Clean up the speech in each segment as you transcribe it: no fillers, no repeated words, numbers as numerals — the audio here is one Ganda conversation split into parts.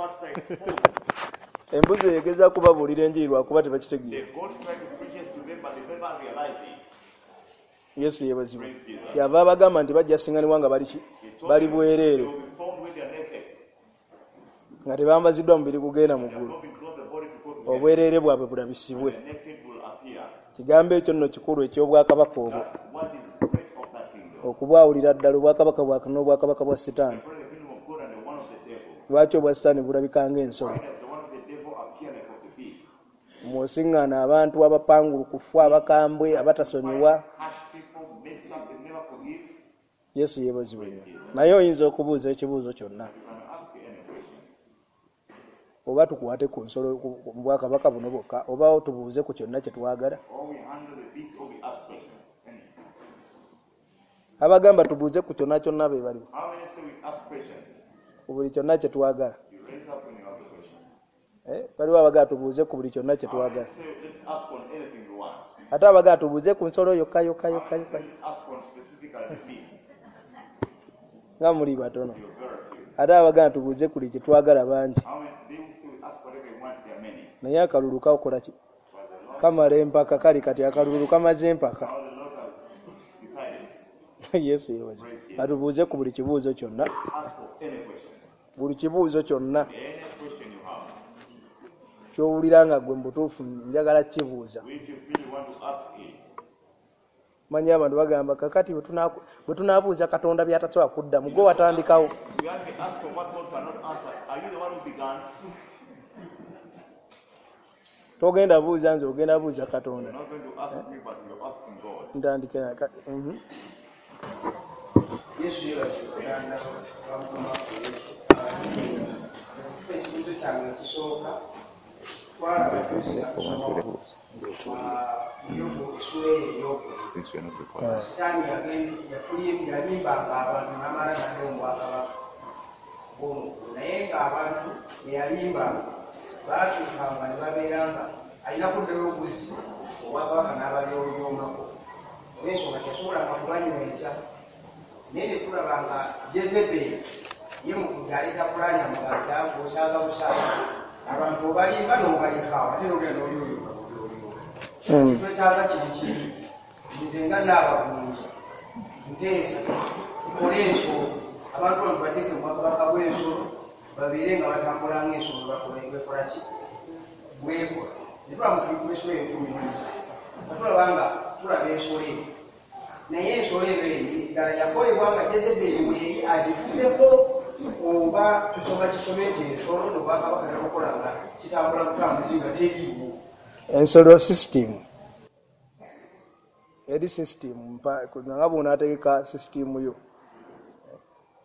parts are exposed. Embuzi egezaako kubabuulira enjiri lwakuba tebakitegeera. The goat tried to preach to them, but they never realized it. Yesu yeebazibwe. Praise Jesus. Yava abagamba nti bajja singanibwa nga bali ki? He told Bali them they bwereere will be found when they are naked. Nga tebambaziddwa mubiri gugenda mu They have ggulu. not been clothed the body to go to heaven. Obwereere bwabwe bulabisibwe. The naked will appear. Kigambo ekyo nno kikulu eky'obwakabaka obwo. That's what is great of that kingdom. Okubwawulira ddala obwakabaka bwa Katonda n'obwakabaka bwa Sitaani. Separate the kingdom of God and the one of the devil. Lwaki obwa Sitaani bulabika ng'ensolo? Why does the one of the devil appear like of the beast? Mw'osiŋŋaana abantu abapangulukufu, abakambwe, abatasonyiwa. Harsh people, messed up, they never forgive. Yesu yeebazibwe nnyo. Naye oyinza okubuuza ekibuuzo kyonna. You can ask any question. Oba tukwate ku nsolo mu bwakabaka buno bwokka, oba tubuuze ku kyonna kye twagala. Or we handle the beast or we ask questions. Any. Abagamba tubuuze ku kyonna kyonna be baliwo. How many say we ask questions? Ku buli kyonna kye twagala. You raise up when you have a question. Waliwo abagamba tubuuze ku buli kyonna kye How many twagala. say let's ask on anything we want? Ate abagamba tubuuze ku nsolo yokka yokka How yokka many yokka. say let's ask on specifically the beast? Nga muli batono. You're very few. Ate abagamba tubuuze ku buli kye twagala bangi. How many they who say we ask whatever we want, there are many. Naye akalulu kakola ki? But the Lord, Kamala empaka kali kati akalulu kamaze empaka. how the Lord has decided. Yesu yeebazibwe. Atubuuze ku buli kibuuzo kyonna. Ask for any question. Buli kibuuzo kyonna Any question you have. ky'owulira nga ggwe mu butuufu njagala kibuuza. If you feel you want to ask it. Manyi abantu bagamba kakati bwe tunaabuuza Katonda by'atasobola kuddamu gwe watandikawo. We have to ask for what God cannot answer. Are you the one who began? Togenda buuza nze, ogenda buuza Katonda. You're not going to ask me, but you're asking God. Ntandike na. Yesu yeebazibwe Katonda wa Mukama waffe Yesu. Ekibuuzo kyange ekisooka twalaba tusinga kusoma Yobu essuula eyo ey'okubiri. Since we are not recording. Sitaani yalimbanga abantu n'amala n'adda mu bwakabaka bw'omuggulu, naye ng'abantu be yalimbanga baatuukanga ne babeera nga alina kuddayo obuzi obwakabaka n'abalyolyomako olw'ensonga teyasobolanga kubanyweza. Naye ne tulaba nga Jezeberi ye mu kujja aleeta pulaani amuganda ng'osanga busanga abantu obalimba n'obalekaawo ate n'ogenda n'olyolyoma bulyolyoma. Twetaaga kiri kibi, nze nga nnaabagunja nteesa tukole ensolo, abantu bano tubateeke mu bwakabaka bw'ensolo babeere nga batambula ng'ensolo bekola ki bwekola. Ne tulaba mu ensolo eyo 17 nga tulaba nga tulaba ensolo eyo, naye ensolo eyo eri ddala yakolebwa nga Jezeberi weeri agituddeko oba tusoma kisome nti ensolo n'obwakabaka nebukola nga kitambula butambuzi nga teriiwo. Ensolo system eri system nga bw'onaategeka system yo,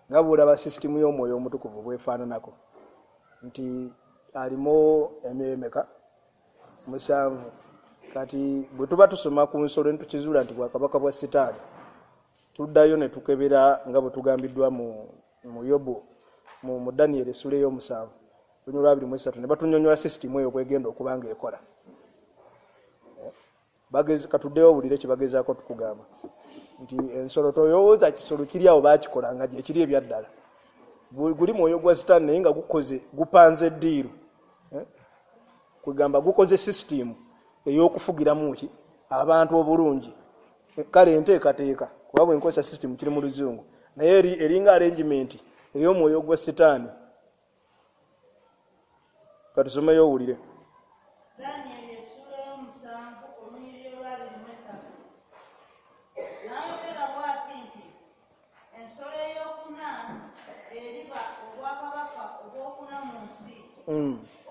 nga bw'olaba system y'omwoyo omutukuvu bw'efaananako nti alimu emyoyo emeka? 7. Kati bwe tuba tusoma ku nsolo ne tukizuula nti bwakabaka bwa Sitaani, tuddayo ne tukebera nga bwe tugambiddwa mu Yobu, mu Daniel essuula ey'omusanvu lunyiriri 23 ne batunyonnyola system eyo kwegenda okuba ng'ekola. Katuddeyo owulire kye bagezaako tukugamba nti ensolo toyowooza kisolo kiri awo baakikola nga gye kiri ebyaddala. Guli mwoyo gwa Sitaani naye nga gukoze gupanze eddiiru. Kwegamba gukoze system ey'okufugiramu ki abantu obulungi. Kale enteekateeka kuba bwe nkozesa system kiri mu Luzungu, naye eringa arrangement ey'omwoyo gwa Sitaani. Katusomeyo owulire. Daniel essuula y'omusanvu olunyiriri olwa 23. N'ayogera bw'ati nti ensolo ey'okuna eriba obwakabaka obwokuna mu nsi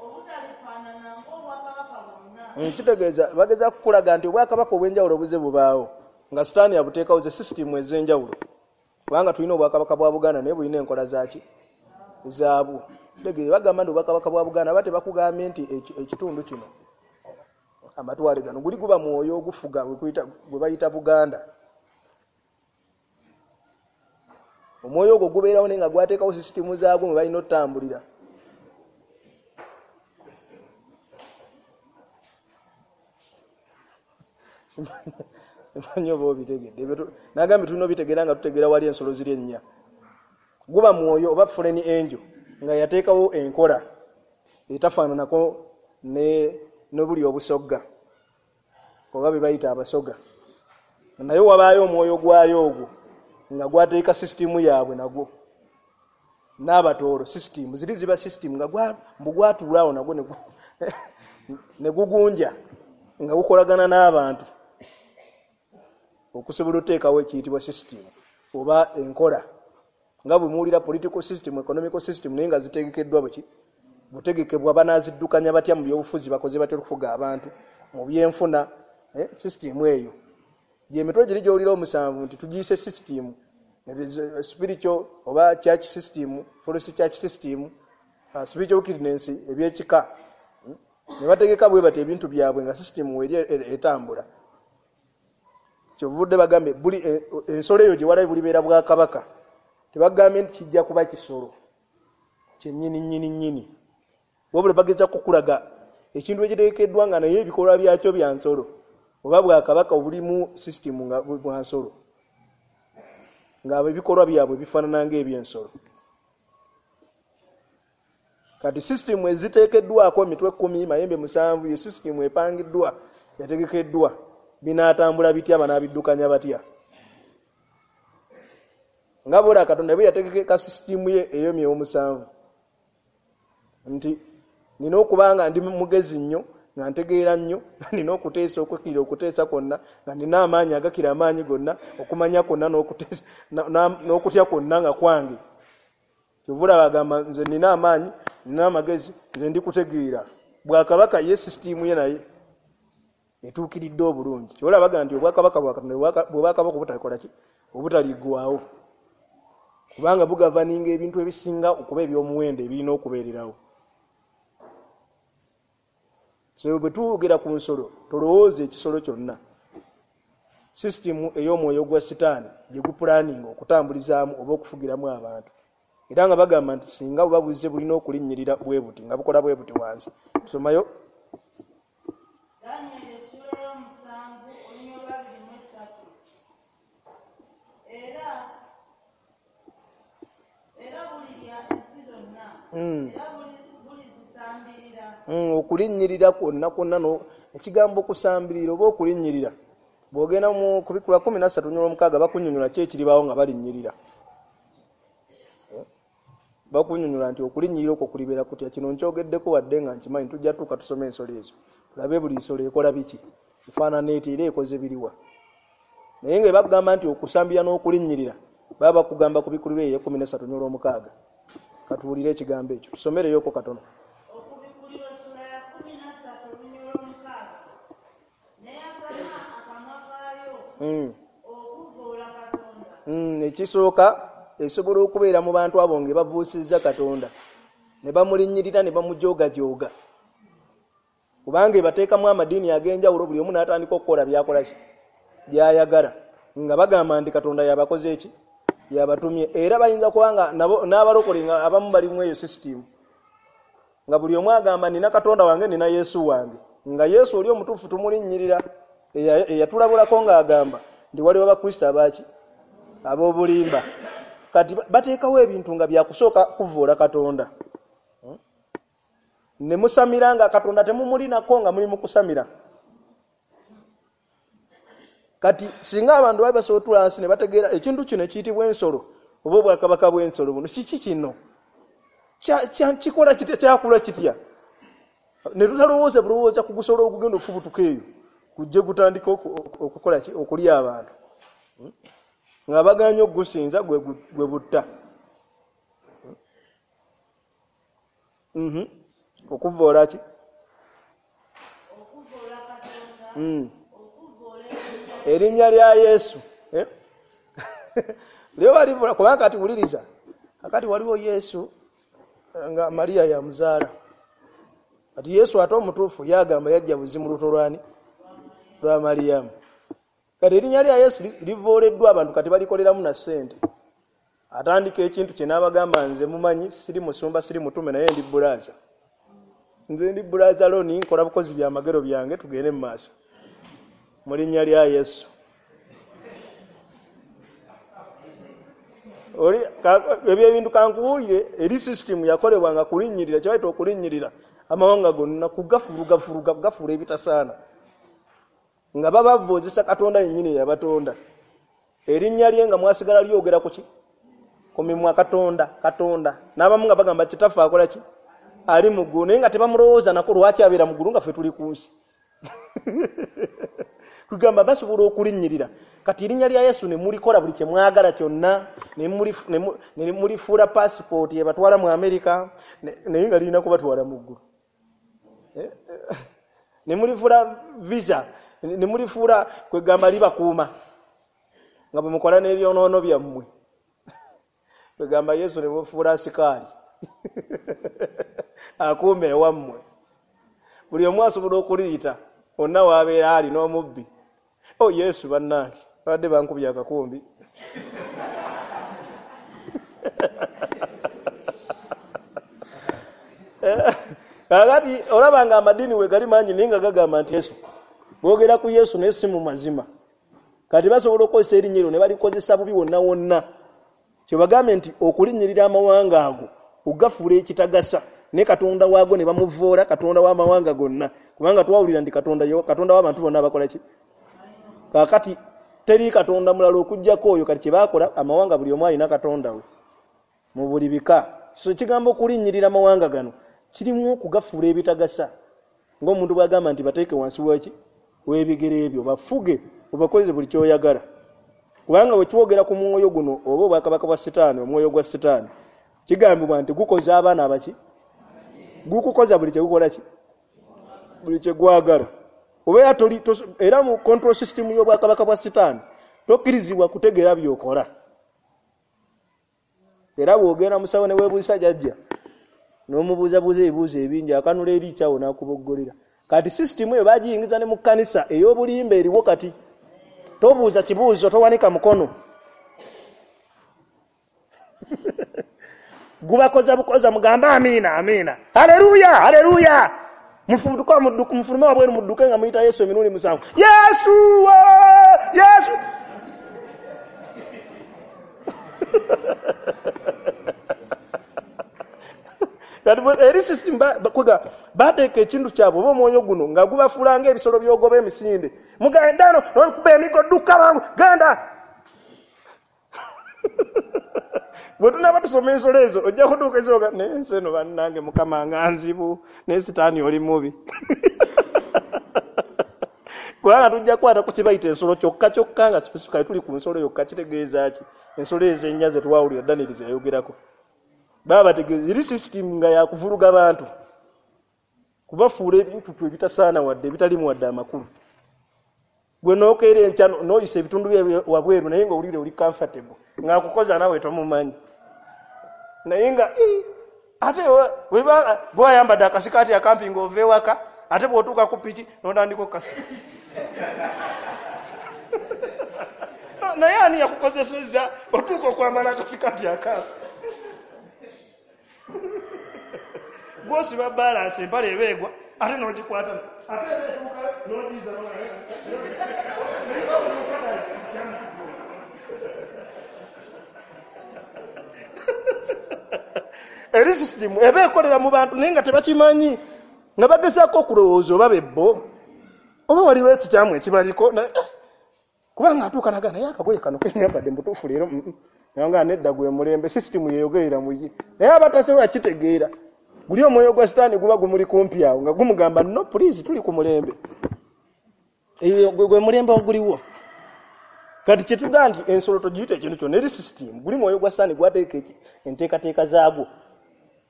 obutalifaanana ng'obwakabaka bwonna. Kitegeeza bageza kukulaga nti obwakabaka obw'enjawulo buze bubaawo nga Sitaani abuteekawo ze system ez'enjawulo, kubanga tulina obwakabaka bwa Buganda naye bulina enkola zaaki zaabwo. Kitegeeza bagamba nti obwakabaka bwa Buganda ba tebakugambye nti ekitundu kino amatwale gano guli guba mwoyo ogufuga gwe bayita Buganda. Omwoyo ogwo gubeerawo naye nga gwateekawo sisitimu zaagwo mwe balina otambulira. Simanyi oba obitegedde. Nagambye tulina obitegeera nga tutegeera wali ensolo ziri ennya. Guba mwoyo oba foreign angel nga yateekawo enkola. etafaananako n'obuli obusogga oba be bayita abasoga, naye wabaayo omwoyo gwayo ogwo nga gwateeka sisitimu yaabwe nagwo n'abatoolo. Sisitimu ziri ziba sisitimu nga mbu gwatuulaawo nagwo ne gugunja nga gukolagana n'abantu okusobola oteekawo ekiyitibwa sisitimu oba enkola, nga bwe muwulira political system, economical system, naye nga zitegekeddwa buki butegekebwa, banaaziddukanya batya mu byobufuzi, bakoze batya okufuga abantu mu byenfuna. Sisitimu eyo gyemitwe giri gy'owulira omusanvu nti tugiyise sisitimu spiritual oba church system, false church system, spiritual wickedness, ebyekika ne bategeka bwe bati ebintu byabwe nga sisitimu eri etambula. Kyovudde bagambe buli ensolo eyo gye walabe bulibeera bwakabaka, tebagambye nti kijja kuba kisolo kyennyini nnyini nnyini, wabula bageza kukulaga ekintu ekitegekeddwa nga naye ebikolwa byakyo bya nsolo oba bwakabaka obulimu sisitimu nga bwa nsolo, nga ebikolwa byabwe bifaanana ng'ebyensolo. Kati sisitimu eziteekeddwako emitwe 10 mayembe 7 ye sisitimu epangiddwa yategekeddwa, binaatambula bitya, banaabiddukanya batya? Nga bw'ola Katonda bwe yategeka sisitimu ye ey'emyoyo 7 nti nina okuba nga ndi mugezi nnyo, nga ntegeera nnyo, nga nina okuteesa okukira okuteesa kwonna, nga nina amaanyi agakira amaanyi gonna, okumanya kwonna n'okutya kwonna nga kwange. Kyovula bagamba nze nina amaanyi, nina amagezi, nze ndi kutegeera. Bwakabaka ye sisitimu ye naye etuukiridde obulungi. Ky'olaba bagamba nti obwakabaka bwa Katonda bwe bwakabaka obutakola ki, obutaliggwaawo, kubanga bugavaninga ebintu ebisinga okuba eby'omuwendo ebirina okubeererawo. So bwe tuwogera ku nsolo, tolowooza ekisolo kyonna. Sisitimu ey'omwoyo gwa Sitaani gye gupulaninga okutambulizaamu oba okufugiramu abantu, era nga bagamba nti singa buba buzze bulina okulinnyirira bwe buti nga bukola bwe buti wansi. Tusomayo Danyeri essula y'omusanvu olunyiriri lwa 23. Era bulirya ensi zonna, era bulizisambirira. Okulinnyirira kwonna kwonna, ekigambo okusambirira oba okulinnyirira, bw'ogenda mu Kubikkulwa 13:6 bakunnyonnyola ki ekiribaawo nga balinnyirira. Bakunnyonnyola nti okulinnyirira okwo kulibeera kutya. Kino nkyogeddeko wadde nga nkimanyi tujja tuuka tusome ensolo ezo, tulabe buli nsolo ekola biki, efaanana etya, era ekoze biriwa. Naye nga bakugamba nti okusambira n'okulinnyirira baba bakugamba Kubikkulwa eyo 13:6. Katuwulire ekigambo ekyo, tusomereyoko katono. Okubikkulirwa essula ya 13:6. N'eyasama akamwa kaayo okuvvoola Katonda. Ekisooka esobola okubeera mu bantu abo nga babuusizza Katonda ne bamulinnyirira ne bamujoogajooga, kubanga ebateekamu amadiini ag'enjawulo, buli omu n'atandika okukola by'akola ki by'ayagala, nga bagamba nti Katonda yabakoze eki, yabatumye. Era bayinza kuba nga n'abalokole nga abamu bali mu eyo sisitimu, nga buli omu agamba nina Katonda wange, nina Yesu wange, nga Yesu oli omutuufu tumulinnyirira, eyatulabulako ng'agamba nti waliwo Abakristo abaaki ab'obulimba. Kati bateekawo ebintu nga byakusooka kuvvoola Katonda ne musamira nga Katonda temumulinako nga muli mu kusamira. Kati singa abantu baali basobola otuula wansi ne bategeera ekintu kino ekiyitibwa ensolo oba obwakabaka bw'ensolo buno kiki kino, kikola kitya, kyakula kitya, ne tutalowooza bulowooza ku gusolo ogugenda ofubutuka eyo gujje gutandika okukola ki, okulya abantu nga baganye okugusinza gwe butta. Okuvvoola ki? Okuvvoola Katonda, okuvvoola erinnya lya Yesu. Lyo balivula kubanga kati wuliriza, akati waliwo Yesu nga Mariya yamuzaala. Kati Yesu ate omutuufu yagamba yajja buzimu luto lwani lwa Mariyamu. Kati erinnya lya Yesu livooleddwa abantu kati balikoleramu na ssente. Atandika ekintu kye n'abagamba nze mumanyi siri musumba siri mutume naye ndi bbulaaza, nze ndi bbulaaza loni, nkola bukozi bya magero byange, tugende mu maaso mu linnya lya Yesu. Oli ebyo ebintu kankubuulire, eri sisitimu yakolebwanga kulinnyirira, kye bayita okulinnyirira. Amawanga gonna kugafurugafuruga kugafuula ebitasaana, nga babavoozesa Katonda yennyini eyabatonda. Erinnya lye nga mwasigala lyogera ku ki? Ku mimwa. Katonda, Katonda. N'abamu nga bagamba kitaffe akola ki? Ali mu ggulu, naye nga tebamulowooza nako lwaki abeera mu ggulu nga ffe tuli ku nsi. Kugamba basobola okulinnyirira. Kati erinnya lya Yesu ne mulikola buli kye mwagala kyonna, ne mulifuula pasipooti ebatwala mu Amerika, naye nga lirina kubatwala mu ggulu. Ne mulifuula visa, ne mulifuula kwegamba libakuuma nga bwe mukola n'ebyonoono byammwe. Kwegamba Yesu ne mufuula asikaali akuuma ewammwe. Buli omu asobola okuliyita onna w'abeera ali n'omubbi. Oh Yesu bannange, babadde bankubye akakumbi. Kakati olaba nga amadiini we gali mangi naye nga gagamba nti Yesu. Boogera ku Yesu naye si mu mazima. Kati basobola okukozesa erinnya eryo ne balikozesa bubi wonna wonna. Kye bagambye nti okulinnyirira amawanga ago okugafuula ekitagasa, ne Katonda waago ne bamuvoola Katonda w'amawanga gonna. Kubanga twawulira nti Katonda w'abantu bonna abakola ki? Kaakati teri Katonda mulala okuggyako oyo. Kati kye baakola amawanga buli omu alina Katonda we mu buli bika. So ekigambo okulinnyirira amawanga gano kirimu okugafuula ebitagasa, ng'omuntu bw'agamba nti bateeke wansi waki? W'ebigere ebyo, bafuge obakozese buli ky'oyagala. Kubanga bwe twogera ku mwoyo guno oba obwakabaka bwa Sitaani, omwoyo gwa Sitaani, kigambibwa nti gukoza abaana abaki? Gukukoza buli kye gukola ki? Buli kye gwagala. Obeera toli era mu control system y'obwakabaka bwa Sitaani tokkirizibwa kutegeera by'okola. Era bw'ogenda musawo ne weebuuza jjajja n'omubuuzabuuza ebibuuzo ebingi, akanula eri kyawo n'akuboggolera. Kati system eyo bagiyingiza ne mu kkanisa ey'obulimba eriwo kati. Tobuuza kibuuzo, towanika mukono. Gubakoza bukoza, mugambe amiina, amiina, haleluya, haleluya. Mufulume wabweru mudduke nga muyita Yesu emirundi 7. Yesu, Yesu. Kati eri system bateeka ekintu kyabwe oba omwoyo guno nga gubafuula ng'ebisolo by'ogoba emisinde. Mugenda no n'okuba emiggo, dduka mangu, genda. Bwe tunaaba tusoma ensolo ezo ojja kutuuka ezoga naye ensi eno bannange Mukama nga nzibu, naye Sitaani oli mubi. Kubanga tujja kukwata ku kibayita ensolo kyokka kyokka nga specifically tuli ku nsolo yokka. Kitegeeza ki? Ensolo ezo ennya ze twawulira Daniel ze yayogerako. Baba bategeeza eri system nga yakuvuluga bantu, kubafuula ebintu ebitasaana wadde ebitalimu wadde amakulu. Gwe n'okeera enkya n'oyisa ebitundu bye wabweru naye ng'owulira oli comfortable, ng'akukoza naawe tomumanyi. Naye nga ate bw'ayambadde akasikaati akampi ng'ova ewaka, ate bw'otuuka ku piki n'otandika okukasa. Naye ani yakukozesezza otuuka okwambala akasikaati akampi? Gw'osiba balansi empale eba egwa ate n'ogikwata, ate eba etuuka n'ogiza. Eri system eba ekolera mu bantu naye nga tebakimanyi, nga bagezaako okulowooza oba bebbo oba waliwo ekikyamu ekibaliko. Kubanga atuuka naga naye akagoye kano kenyambadde mutuufu leero, nga nedda gwe mulembe, system yeyogerera mu ye. Naye abatasobola kitegeera, guli omwoyo gwa Sitaani guba gumuli kumpi awo nga gumugamba no please, tuli ku mulembe. Gwe mulembe oguliwo. Kati kyetugaa nti ensolo togiyita ekintu kyonna, eri system. Guli mwoyo gwa Sitaani gwateeka enteekateeka zaagwo,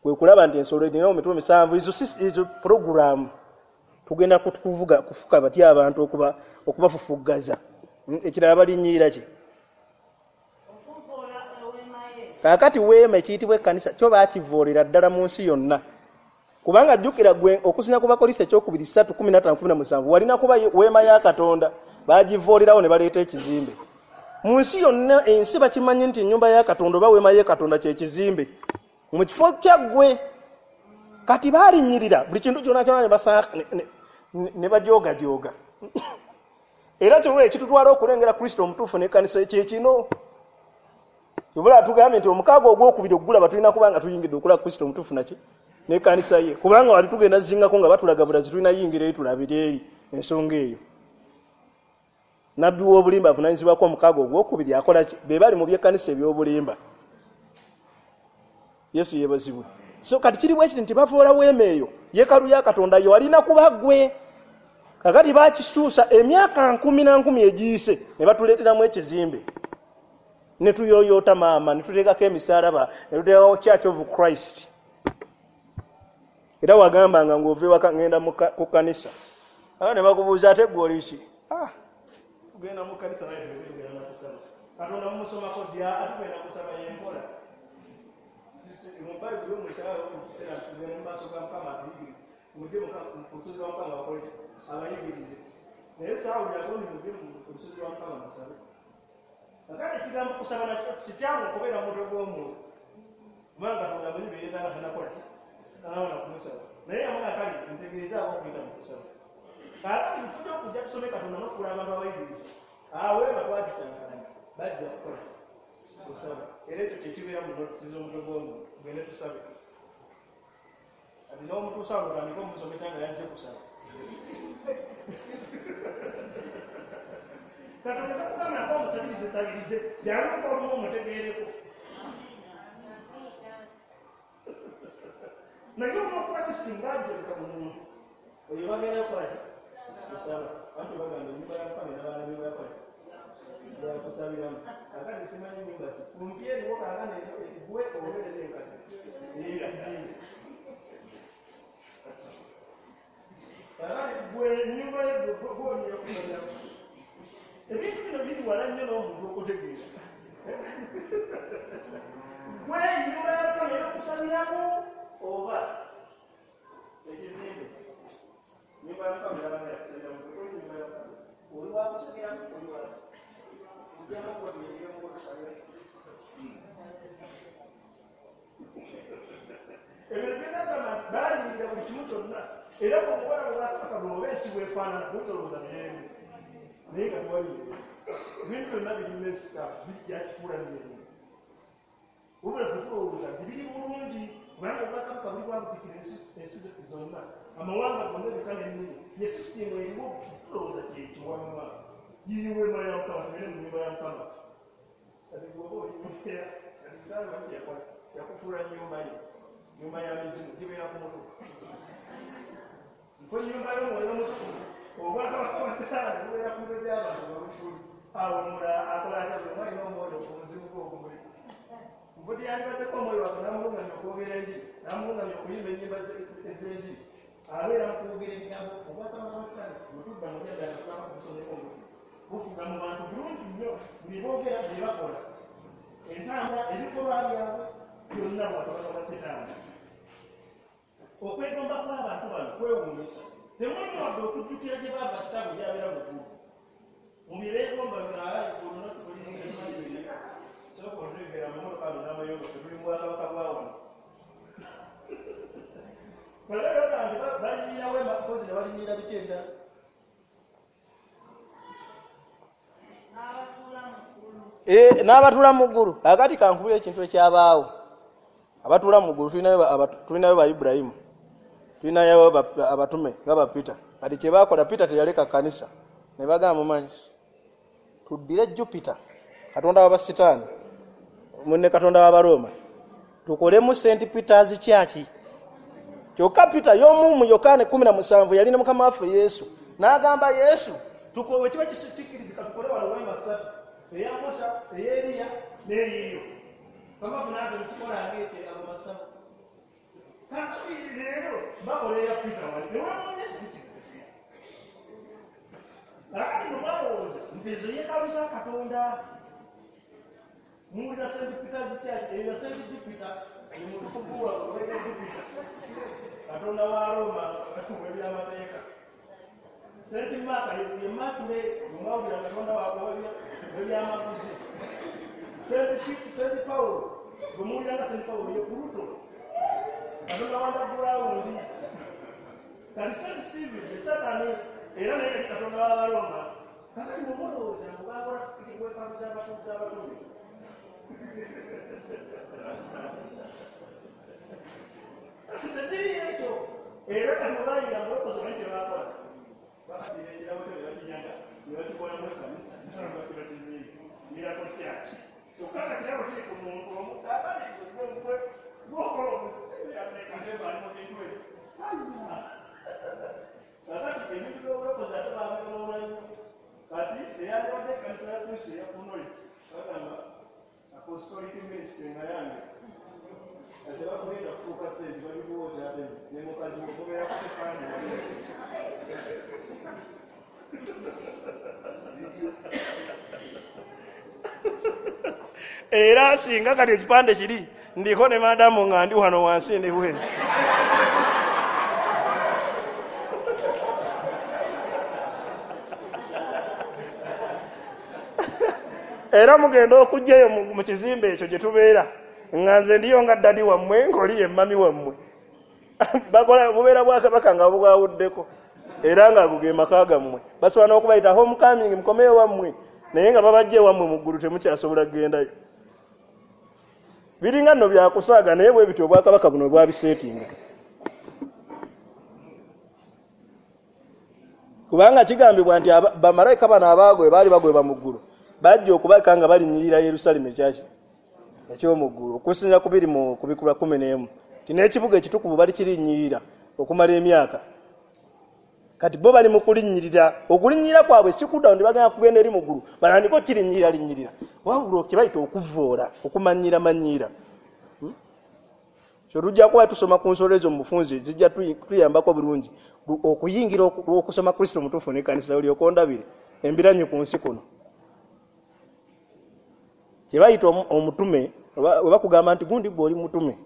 kwe kulaba nti ensolo erina emitwe 7. Ezo program tugenda kuvuga kufuka batya abantu okubafufuggaza. Ekirala balinnyirira ki? Kaakati weema ekiyitibwa ekkanisa kyo baakivoolera ddala mu nsi yonna. Kubanga jjukira gwe okusinga ku Bakolinso ekyokubiri 3:15-17 walina kuba weema ya Katonda, baagivoolerawo ne baleeta ekizimbe. Mu nsi yonna ensi bakimanyi nti ennyumba ya Katonda oba weema ya Katonda kye kizimbe mu kifo kya ggwe. Kati baalinnyirira buli kintu kyonna kyonna ne bajoogajooga. Era kyolwo ekitutwala okulengera Kristo omutuufu n'ekkanisa kye kino. Tubula tugambye nti omukaaga ogwokubiri ogulaba tulina kuba nga tuyingidde okulaba Kristo omutuufu naki N'ekkanisa ye, kubanga wali tugenda zingako nga batulaga bulazi, tulina yingira eri tulabire eri ensonga eyo. Nabbi w'obulimba avunaanyizibwako omukaaga ogwokubiri akola ki? Be bali mu by'ekkanisa eby'obulimba. Yesu yeebazibwe. So kati kiri bwe kiti nti bavoola weema eyo, yeekaalu ya Katonda yo alina kuba ggwe. Kakati bakituusa emyaka nkumi na nkumi egiyise ne batuleeteramu ekizimbe, ne tuyoyoota maama, ne tuteekako emisaalaba, ne tuteekako Church of Christ. Era wagambanga ng'ova ewaka ngenda ku kkanisa, ne bakubuuza ate ggwe oli ki? Tugenda mu kkanisa naye tugenda kusaba. Katonda mumusomako ddi? Tugenda kusaba y'enkola. Mu Bayibuli omusaba okukiseera tugenda mu maaso ga Mukama atuyigirize, mujje ku lusozi lwa Mukama bakole abayigirize. Naye saawulirako nti mujje ku lusozi lwa Mukama musabe. Kakati ekigambo kusaba nakyo kikyamu okubeera mu mutwe gw'omuntu, kubanga Katonda amanyi bye yeetaaga tannakola ki, tannawana kumusaba. Naye yamala kale ntegeezaako okuyita mu kusaba. Kaakati tujja okujja tusome Katonda n'okufuula abantu abayigiriza. Awo weema twagikyankalanya, bajja kukola kusaba. Era ekyo kye kibeera mu notisi z'omutwe gw'omuntu, tugende tusabe. Kati n'omutuusa awo otandike omusomesa nga yazze kusaba. Katonda takugambako omusabirize sabirize, jangu olumu omutegeereko. Naye olw'okuba si singa njebeka mu muntu oyo bagenda kukola ki? Kusaba. Anti bagamba ennyumba ya Mukama n'abaana be bakola ki? Yakusabiramu. Kaakati simanyi nnyumba ki kumpi eriwo kaakano eggwe obeerera enkadde ey'ekizimbe. Kaakati ggwe ennyumba ye gwe olina kusabiramu. Ebintu bino biri wala nnyo n'omuntu okutegeera. Ggwe ennyumba ya Mukama ey'okusabiramu oba ekizimbe? Nyumba ya Mukama n'abaana yakusabiramu. Oli nyumba ya Mukama oli wakusabiramu, oli wa ojjamu okutuyingiremu otusabira. Ebyo byagamba nti baaliyirira buli kimu kyonna, era bw'omuwala bw'atakaka oba ensi bw'efaanana bwetolooza mirembe, naye nga tewali mirembe. Ebintu byonna biri mesika, byakifuula mirembe. Wabula ffe tulowooza nti biri bulungi, kubanga obwakabaka buli bwabutikira ensi zonna, amawanga gonna, ebika n'ennimi. Ye sisitimu eriwo, tulowooza kyekiwamma. Yiyi weema ya Mukama, tugende mu nnyumba ya Mukama. Kati gwoba oli mbeera, kati saalaba nti yakola yakufuula nnyumba ye, nnyumba ya mizimu gibeera ku mutwe. Nko nnyumba y'omwoyo omutukuvu, obwakabaka bwa Setaani bubeera ku mitwe gy'abantu nga buli awo. Omulala akola atya? Buli omu alina omwoyo omuzimu gwe ogumuli. Nvudde yandibaddeko omwoyo waffe n'amulungamya okwogera enjiri, n'amulungamya okuyimba ennyimba ez'enjiri, abeera mu kwogera ebigambo. Obwakabaka bwa Setaani bwe tudda mu byaddala tulaba kubusomeko omuti bufuga mu bantu bulungi nnyo. Bye boogera, bye bakola, entambula, ebikolwa byabwe byonna bwakabaka bwa Setaani. Okwegomba kw'abantu bano kwewuunyisa. Temulimu wadde okujjukira gye baava, kitaabwe gyabeera mu ggulu. Mu bye beegomba byonna, sooka otutegera amamotoka ano n'amayumba, tuli mu bwakabaka bwa wano. Balaba nti balinnyira weema mpozi ne balinnyira biki ebirala. N'abatuula mu ggulu. N'abatuula mu ggulu. Kakati kankubira ekintu ekyabaawo. Abatuula mu ggulu tulinayo ba Ibulayimu, tulinayo abatume nga ba Peter. Kati kye baakola, Peter teyaleka kkanisa, ne bagamba, mumanyi tuddire Jupiter, katonda w'abasitaani munne, katonda w'Abarooma, tukolemu St Peter's Church. Kyokka Peter y'omu mu Yokaana 17 yalina Mukama waffe Yesu, n'agamba Yesu, bwe kiba kikkirizika tukole wano weema ssatu, eya Musa, ey'Eriya n'eyiyo. Mukama waffe n'aze mukikola ng'ekyo ago masaba. Kakati leero bakola eya Peter wali newamanya kiki. Kakati bwe mwalowooza nti ezo yeekaalu za Katonda, muwulira St Peter's Church eyo St Jupiter ye mutukuvu waabwe oweera Jupiter, katonda wa Roma w'ebyamateeka. St Mark ye Mercury, mwawulira katonda waabwe w'ebyamaguzi. St Paul bwe muwulira nga St Paul ye Pluto, katonda wa underground. Kati St Stephen ye Satani, era naye yali katonda w'Abaroma. Kakati bwe mulowooza ngu bakola weekaalu z'abatuuze. Tekiri ekyo. Era kati bwe bayingira mu bulokozi omanyi kye baakola, bakkira ekirabo kyo ne bakinyaga ne bakikolamu ekkanisa bakibatizeeyo Miracle Church. Kyokka nga kirabo kiri ku muntu omu. Kaakati gwe gwokola omuateekateeka ali mu bintu ebyo. Kaakati ebintu by'obulokozi ate baabyonoona nnyo. Kati eyandibadde ekkanisa ya Kristo eya Knowledge bagamba apostolic ministry nga yange, kati bakulinda kufuuka sente babikuwa okyateme ne mukazi wo mubeera ku kipande. Era singa kati ekipande kiri ndiko ne madamu nga ndi wano wansi ndi bweru. Era mugenda okujjayo mu kizimbe ekyo gye tubeera nga nze ndiyo nga ddadi wammwe ng'oli ye mami wammwe. Bakola bubeera bwakabaka nga bwawuddeko era nga ago ge maka gammwe. Basobola n'okubayita homecoming, mukomeyo wammwe, naye nga babajja ewammwe mu ggulu temukyasobola kugendayo. Biringa nno byakusaaga, naye bwe bityo obwakabaka buno bwabiseetinga. Kubanga kigambibwa nti bamalayika bano abaagwe baali bagweba mu ggulu, bajja okubaka nga balinnyirira Yerusaalemi ekyaki eky'omu ggulu, okusinziira ku biri mu Kubikulwa 11 nti n'ekibuga ekitukuvu bali kirinnyirira okumala emyaka. Kati bo bali mu kulinnyirira, okulinnyirira kwabwe si kudda nti bagenda kugenda eri mu ggulu batandike okirinnyirira linnyirira, wabula kye bayita okuvvoola, okumanyiira manyiira. So tujja kuba tusoma ku nsolo ezo mu bufunze, zijja tuyambako bulungi okuyingira okusoma Kristo omutuufu n'ekkanisa olyoke ondabire embiranyi ku nsi kuno. Kye bayita omutume, we bakugamba nti gundi gwe oli mutume,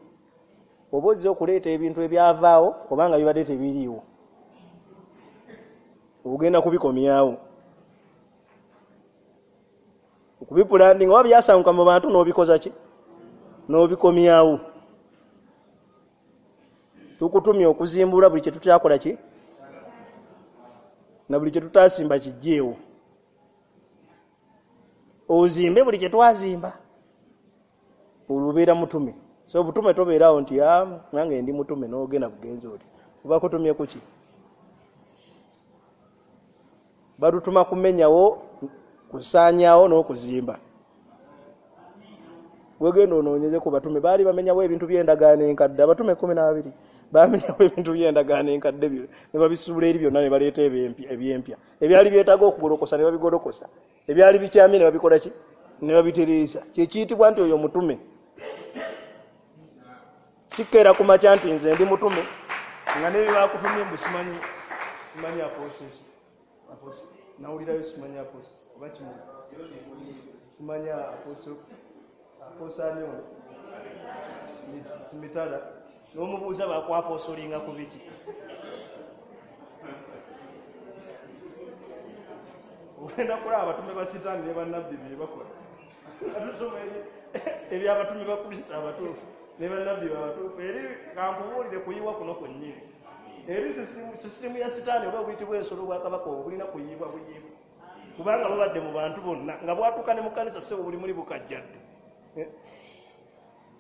oba ozze okuleeta ebintu ebyavaawo obanga bibadde tebiriiwo, ogenda kubikomyawo, okubipulandinga oba byasanguka mu bantu n'obikoza ki, n'obikomyawo. Tukutumye okuzimbula buli kye tutaakola ki na buli kye tutaasimba kijjeewo, ozimbe buli kye twazimba, olwo obeera mutume. So obutume tobeerawo nti nange ndi mutume n'ogenda bugenzi oti oba kutumye kuki. Batutuma kumenyawo, kusaanyaawo n'okuzimba. Wegenda onoonyeze ku batume, baali bamenyawo ebintu by'endagaano enkadde. Abatume 12 bamenyawo ebintu by'endagaano enkadde ne babisuula eri byonna ne baleeta ebyempya. Ebyali byetaaga okugolokosa ne babigolokosa, ebyali bikyamye ne babikola ki, ne babitereeza. Kye kiyitibwa nti oyo mutume. Sikkeera ku makya nti nze ndi mutume nga ne bye bakutumye mbu simanyi apostle, nawulirayo simanyi apostle oba kimu simanyi apostle apostle ono simitala, n'omubuuza bakwaposolinga ku biki. Ogenda kulaba abatume ba Sitaani ne bannabbi bye bakola. Tusoma ebyabatume ba Kristo abatuufu ne bannabbi abatuufu. Eri kankubuulire kuyiwa kuno kwennyini. Eri sisitimu ya Sitaani oba obuyitibwa ensolo obwakabaka obwo bulina kuyiibwa buyiibwa, kubanga bubadde mu bantu bonna nga bwatuuka ne mu kkanisa ssebo buli muli bukajjadde.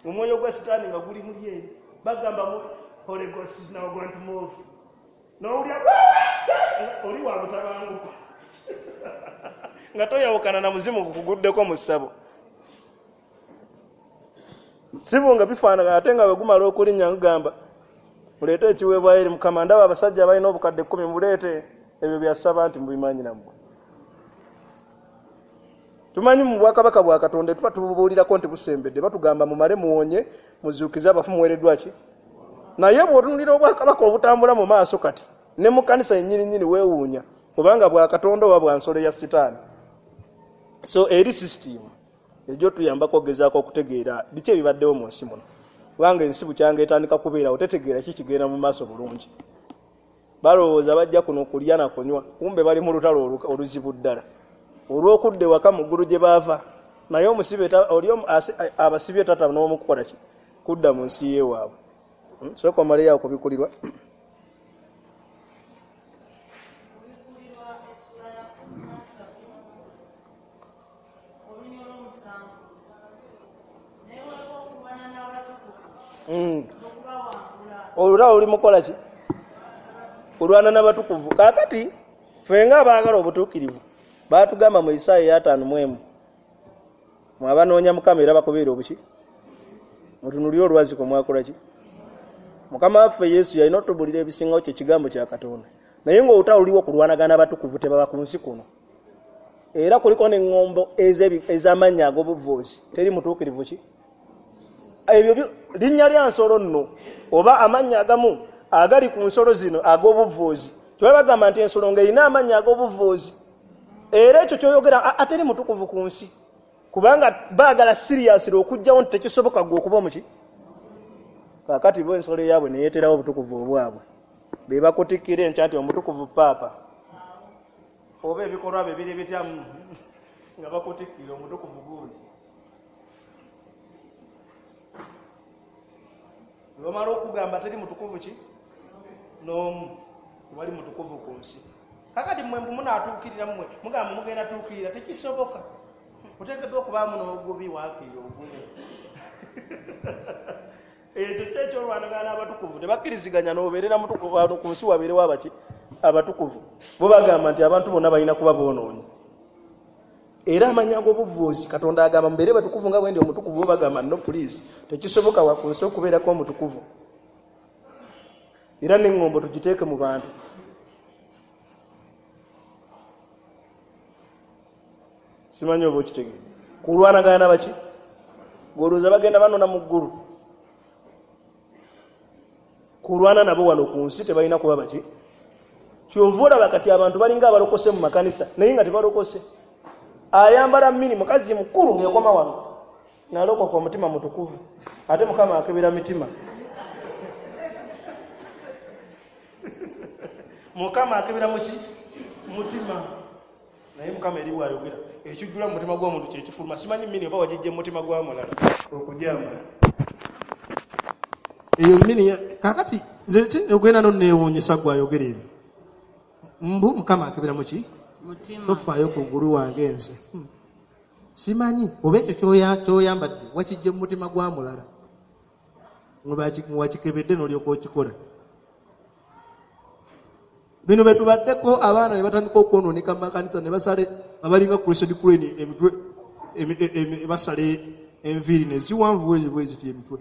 Omwoyo gwa Sitaani nga guli muli eri, bagamba mu Holy Ghost is now going to move, n'owulira oli wa butabanguko nga toyawukana na muzimu gukuguddeko mu ssabo. Sibu nga bifaanagana, ate nga bwe gumala okulinnya ngugamba muleete ekiweebwayo eri Mukama, ndaba abasajja abalina obukadde 10 muleete ebyo byasaba nti mubimanyi nammwe. Tumanyi mu bwakabaka bwa Katonda tuba tububuulirako nti busembedde, batugamba mumale muwonye muzuukize abafu muweereddwa ki. Naye bw'otunuulira obwakabaka obutambula mu maaso kati ne mu kkanisa yennyini nnyini weewuunya obanga bwa Katonda oba bwa nsolo ya Sitaani. So eri sisitimu ejjo tuyambako okugezaako okutegeera biki ebibaddewo mu nsi muno, kubanga ensi bukyanga etandika kubeerawo tetegeera ki kigenda mu maaso bulungi. Balowooza bajja kuno kulya na kunywa, kumbe bali mu lutalo oluzibu ddala olw'okudda ewaka mu ggulu gye baava. Naye omusibe oli abasibye tata n'omukukola ki kudda mu nsi yeewaabwe. Sooka omaleyo okubikulirwa. Okubikulirwa essula ya 13 olunyiriri olw'omusanvu. Naye waliwo okulwana n'abatukuvu n'okubawangula. Olutalo luli mukola ki? Kulwana n'abatukuvu. Kaakati ffe ng'abaagala obutuukirivu baatugamba mu Isaaya 51, mwabanoonya Mukama era bakubeera obuki? Mutunuulire olwazi kwe mwakola ki? Mukama waffe Yesu yalina otubulira ebisingawo kye kigambo kya Katonda. Naye ng'olutalo luliwo kulwanagana abatukuvu tebaba ku nsi kuno. Era kuliko n'eŋŋombo ez'amannya ag'obuvuuzi. Teri mutuukirivu ki? Ebyo linnya lya nsolo nno oba amannya agamu agali ku nsolo zino ag'obuvuuzi. Tebaba bagamba nti ensolo ng'erina amannya ag'obuvuuzi. Era ekyo ky'oyogera ateri mutukuvu ku nsi. Kubanga baagala seriously okuggyawo nti tekisoboka ggwe okuba omuki. Kaakati bo ensolo yaabwe ne yeeterawo obutukuvu obwabwe. Be bakutikkira enkya nti omutukuvu paapa. Oba ebikolwa bye biri bitya nga bakutikkira omutukuvu gundi. Bwe bamala okugamba teri mutukuvu ki? N'omu. Tewali mutukuvu ku nsi. Kaakati mmwe mbu munaatuukirira mmwe mugamba mugenda tuukirira tekisoboka. Oteekeddwa okubaamu n'ogubi waakiira ogumu. Ekyo kyo ekyolwanagana n'abatukuvu tebakkiriziganya n'obeerera mutukuvu wano ku nsi wabeerewo abaki? Abatukuvu. Bo bagamba nti abantu bonna balina kuba boonoonyi. Era amannya ag'obuvuuzi Katonda agamba mubeere batukuvu nga bwe ndi omutukuvu, bo bagamba no please tekisoboka wa ku nsi okubeerako omutukuvu. Era n'eŋŋombo tugiteeke mu bantu. Simanyi oba okitegeera. Kulwanagana na baki? Gw'olowooza bagenda banona mu ggulu. Kulwana nabo wano ku nsi tebalina kuba baki? Kyova olaba kati abantu balinga abalokose mu makanisa naye nga tebalokose. Ayambala mini mukazi mukulu ng'ekoma wano. Nalokoka omutima mutukuvu. Ate Mukama akebera mitima. Mukama akebera muki? Mutima. Naye Mukama eri bw'ayogera ekijjula mu mutima gw'omuntu kye kifuluma. Simanyi mini oba wagijja mu mutima gwa mulala okugyambala. Eyo mini kaakati nze ogenda nonneewuunyisa gw'ayogera ebyo. Mbu Mukama akebera muki? Mutima. Tofaayo ku ngulu wange nze. Simanyi oba ekyo ky'oyambadde wakijja mu mutima gwa mulala. Wakikebedde n'olyoka okikola. Bino bye tubaddeko abaana ne batandika okwonooneka mu makanisa ne basala abalinga Crested Crane emitwe basala enviiri ne ziwanvu bwe ziti emitwe.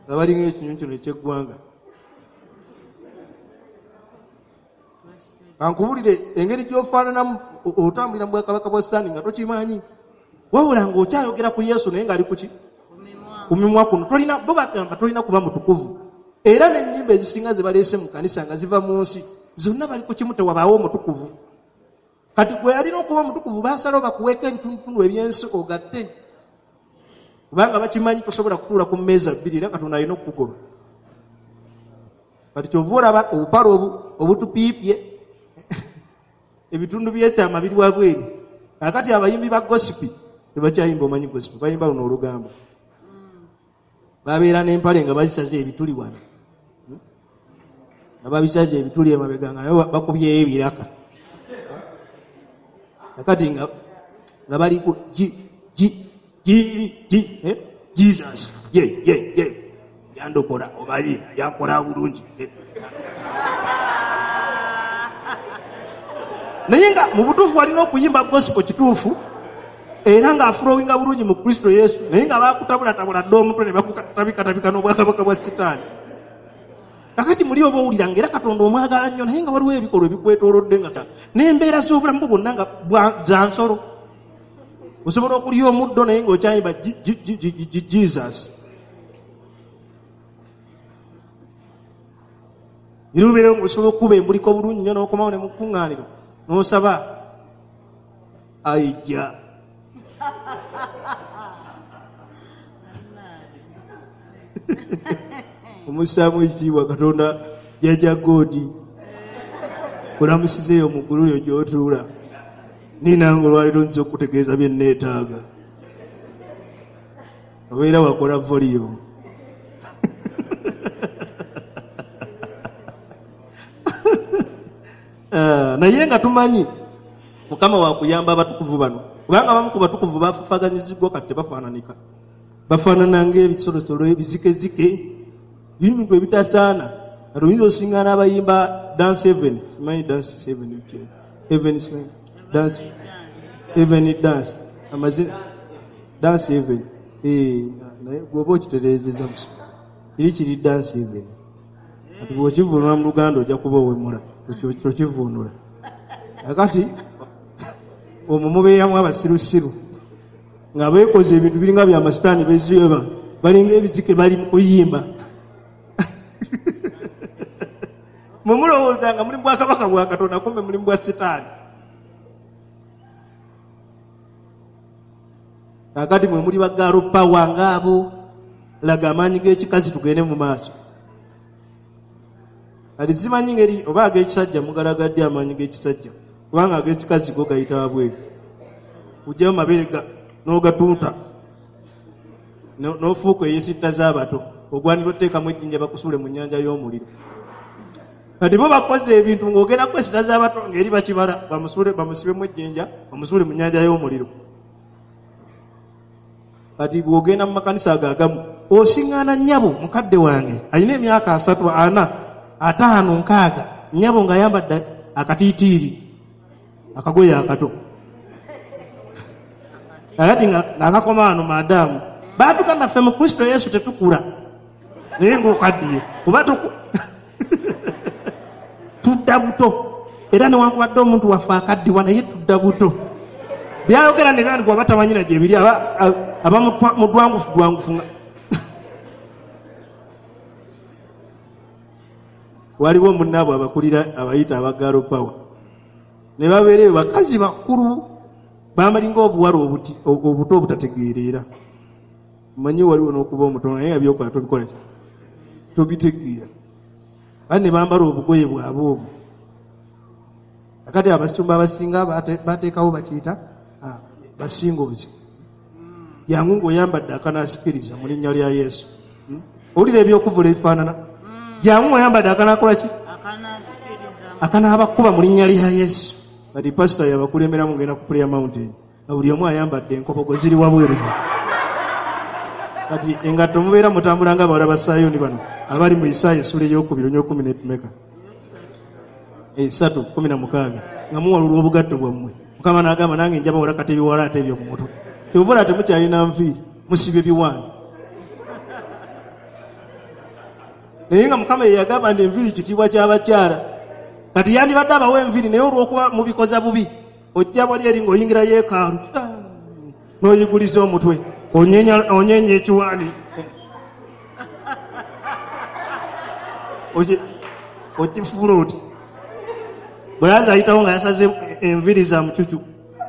Nga balinga ekinyonyi kino eky'eggwanga. Kankubulire engeri gy'ofaananamu otambulira mu bwakabaka bwa Sitaani nga tokimanyi. Wabula ng'okyayogera ku Yesu naye ng'ali ku ki? Ku mimwa kuno. Tolina, bo bagamba tolina kuba mutukuvu. Era n'ennyimba ezisinga ze baleese mu kanisa nga ziva mu nsi zonna bali ku kimu tewabaawo omutukuvu. Kati gwe yalina okuba omutukuvu baasalawo bakuweeko ebitundutundu eby'ensi ogatte. Kubanga bakimanyi tosobola kutuula ku mmeeza bbiri era Katonda alina okukugoba. Kati kyova olaba obupale obutupiipye ebitundu by'ekyama biri wabweru. Kaakati abayimbi ba gospel tebakyayimba omanyi gospel, bayimba luno olugambo. Babeera n'empale nga bazisaze ebituli wano. Nga babisaze ebituli emabega nga nabo bakubyeyo ebiraka. Kakati nga bali ku G, G, G, G, Jesus, ye, ye, ye. Yandokola omanyi yankola bulungi. Naye nga mu butuufu walina okuyimba gospel kituufu era ng'afulowinga bulungi mu Kristo Yesu, naye nga bakutabulatabula dda omutwe ne bakutabikatabika n'obwakabaka bwa Sitaani. Kakati muli oba owulira ng'era Katonda omwagala nnyo naye nga waliwo ebikolwa ebikwetoolodde nga sa n'embeera z'obulamu bwo bwonna nga za nsolo. Osobola okulya omuddo naye ng'okyayimba Jesus. Era obeera ng'osobola okukuba embuliko bulungi nnyo n'okomawo ne mu kkuŋŋaaniro n'osaba aijja. Omussaamu ekitiibwa Katonda jjajja Godi kulamusizeeyo mu ggulu lyo gy'otuula. Ninange olwaleero nzize okukutegeeza bye nneetaaga. Obeera wakola volume. Naye nga tumanyi Mukama wakuyamba abatukuvu bano, kubanga abamu ku batukuvu bafafaganyiziddwa kati tebafaananika. Bafaanana ng'ebisolosolo ebizikezike. Bintu ebitasaana. Kati oyinza osiŋŋaana abayimba dance heaven, simanyi dance heaven biki? Heaven simanyi dance heaven dance amazina dance heaven. Naye gwoba okitereezeza musoma kiri kiri dance heaven. Kati bw'okivuunula mu Luganda ojja kuba owemula, tokivuunula. Kakati omwo mubeeramu abasirusiru nga beekoze ebintu biringa bya masitaani bezueba, balinga ebizike bali mu kuyimba. Mwe mulowooza nga muli mu bwakabaka bwa Katonda, kumbe muli mu bwa Sitaani. Kakati mwe muli bagaalo pawa ngaabo, laga amaanyi g'ekikazi tugende mu maaso. Kati simanyi ngeri oba ag'ekisajja mugalagadde amaanyi g'ekisajja, kubanga ag'ekikazi go gayita wabweru. Ojjayo mabeere n'ogatunta, n'ofuuka eyesitta z'abato, ogwanira oteekamu ejjinja bakusuule mu nnyanja y'omuliro. Kati bo bakoze ebintu ng'ogenda kwesita z'abato ng'eri bakibala, bamusibemu ejjinja, bamusuule mu nnyanja y'omuliro. Kati bw'ogenda mu makanisa ago agamu, osiŋŋaana nnyabo mukadde wange alina emyaka 3, 4, 5, 6, nnyabo ng'ayambadde akatiitiiri, akagoye akato. Kakati ng'akakoma wano maadaamu, baatugamba ffe mu Kristo Yesu tetukula, naye ng'okaddiye oba tudda buto. Era newankubadde omuntu waffe akaddiwa naye tudda buto. Byayogera ne byandikwa batamanyira gye biri, aba mudwangufu dwangufu nga waliwo munnaabwe abakulira abayita abagalo power ne babeera eyo bakazi bakulu bambalinga obuwala obuto obutategeerera. Omanyi waliwo n'okuba omutono naye nga by'okola tobikola ki? Tobitegeera. Bali ne bambala obugoye bwabwe obwo. Kakati abasumba abasinga bateekawo bakiyita basingozi. Jangu ng'oyambadde akanaasikiriza mu linnya lya Yesu. Owulira ebyokuvula ebifaanana? Jangu ng'oyambadde akanaakola ki? Akanaabakuba mu linnya lya Yesu. Kati pasita yabakulemberamu ngenda ku Prayer Mountain, nga buli omu ayambadde enkobogo ziri wabweru. Kati engatto mubeera mutambula nga abawala ba Sayuuni bano abali mu Isaaya essula ey'okubiri ony'okumi n'emeka? 3, 16, nga muwalula obugatto bwammwe. Mukama n'agamba nange nja bawala kati ebiwalaata ebyo mu mutwe. Kyova olaba temukyalina nviiri, musibye biwaani. Naye nga Mukama ye yagamba nti enviiri kitiibwa ky'abakyala. Kati yandibadde abawa enviiri naye olw'okuba mubikoza bubi, ojja wali eri ng'oyingira yeekaalu, n'oyiguliza omutwe, onyeenya ekiwaani. Okifuula oti. Bulaza ayitawo nga yasaze enviiri za mucucu,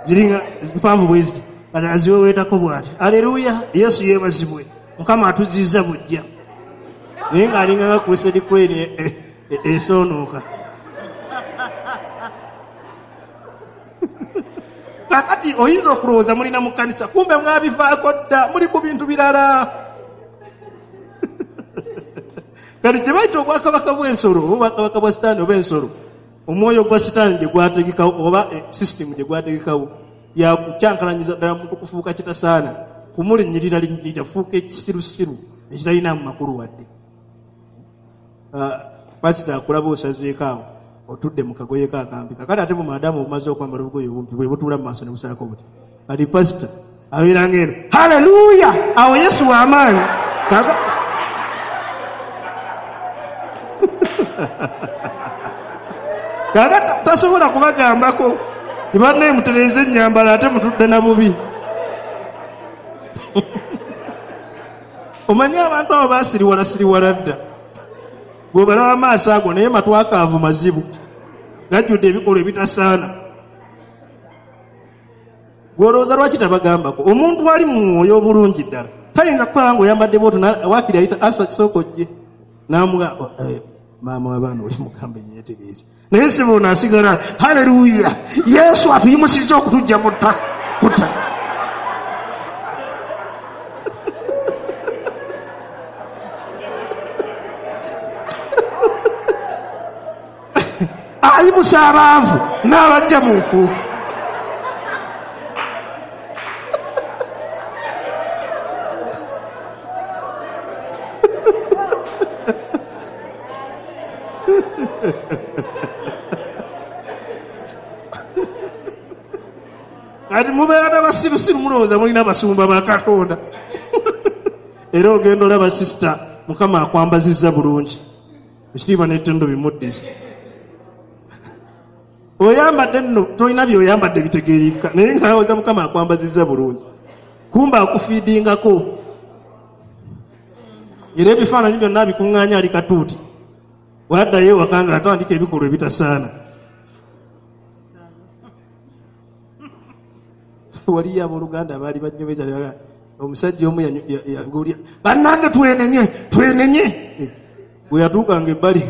ziringa mpanvu bwe ziti, kati aziweweetako bw'ati. Aleluya, Yesu yeebazibwe, Mukama atuzizza bujja. Naye ng'alinga nga Crusade Crane esoonooka. Kakati oyinza okulowooza mulina mu kkanisa, kumbe mwabivaako dda, muli ku bintu birala. Kati kye bayita obwakabaka bw'ensolo, oba obwakabaka bwa Sitaani oba ensolo, omwoyo gwa Sitaani gye gwategekawo oba sisitimu gye gwategekawo yakukyankalanyiza ddala muntu kufuuka kitasaana, kumulinnyirira linnyirira, fuuka ekisirusiru ekitalina mu makulu wadde. Pasita akulaba osazeeko awo, otudde mu kagoye ka akampi. Kakati ate bumaadamu obumaze okwambala obugoye obumpi bwe butuula mu maaso ne busalako buti. Kati pasita abeera ng'eno, haleluya, awo Yesu w'amaanyi. Kakati tasobola kubagambako tibannaye mutereeze ennyambala ate mutudde na bubi. Omanyi abantu abo baasiriwala siriwala dda. Bw'obalaba amaaso ago naye matwakaavu mazibu, gajjudde ebikolwa ebitasaana. Gw'olowooza lwaki tabagambako? Omuntu ali mu mwoyo obulungi ddala tayinza kukola ng'oyambadde bw'otyo, waakiri ayita asa kisooka ojje n'amuga, maama w'abaana oli mugambe yeetereeze. Naye si bono asigala, haleluya, Yesu atuyimusizza okutuggya mu ttaka. Ayimusa abaavu n'abajja mu nfuufu. Kati mubeera n'abasirusiru mulowooza mulina abasumba ba Katonda. Era ogenda olaba sisita Mukama akwambazizza bulungi, ekitiibwa n'ettendo bimuddiza. Oyambadde nno tolina by'oyambadde bitegeereka, naye ng'alowooza Mukama akwambazizza bulungi, kumbe akufiidingako. Era ebifaananyi byonna abikuŋŋaanya ali katuuti, waddayo ewaka ng'atandika ebikolwa ebitasaana. Waliyo abooluganda abaali banyomeza, omusajja omu yagulya, bannange twenenye twenenye. Bwe yatuukanga ebbali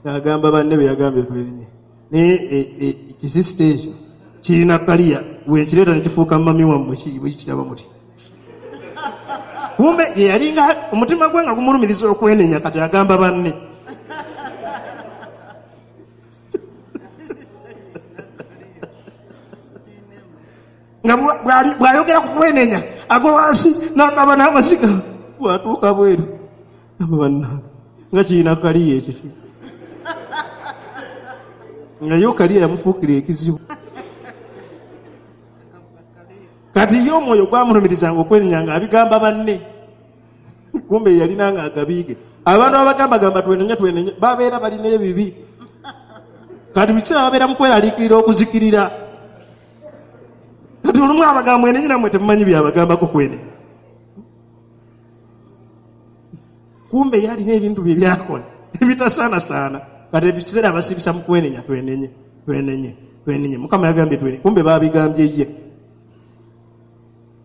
ng'agamba banne be yagambye twenenye, naye ekisisita ekyo kirina kaliya, bwe nkireeta ne kifuuka mami wammwe, mukiraba muti. Kumbe ye yalinga omutima gwe nga gumulumiriza okwenenya, kati agamba banne. Nga bw'ayogera ku kwenenya agwa wansi n'akaba n'amasiga, bw'atuuka bweru gamba bannange nga kirina kaliya ekyo, nga yo kaliya yamufuukira ekizibu. Kati ye omwoyo gwamulumirizanga okwenenya ng'abigamba banne, kumbe yalina nga agabiige. Abantu abagambagamba twenenye twenenye babeera balina ebibi, kati bikiseera babeera mu kweraliikirira okuzikirira. Kati olumu abagamba mwenenye nammwe temumanyi byabagambako kwenenya, kumbe yalina ebintu bye byakola ebitasaanasaana. Kati ebikiseera abasibisa mu kwenenya, twenenye twenenye twenenye, Mukama yagambye twenenye, kumbe baabigambye ye.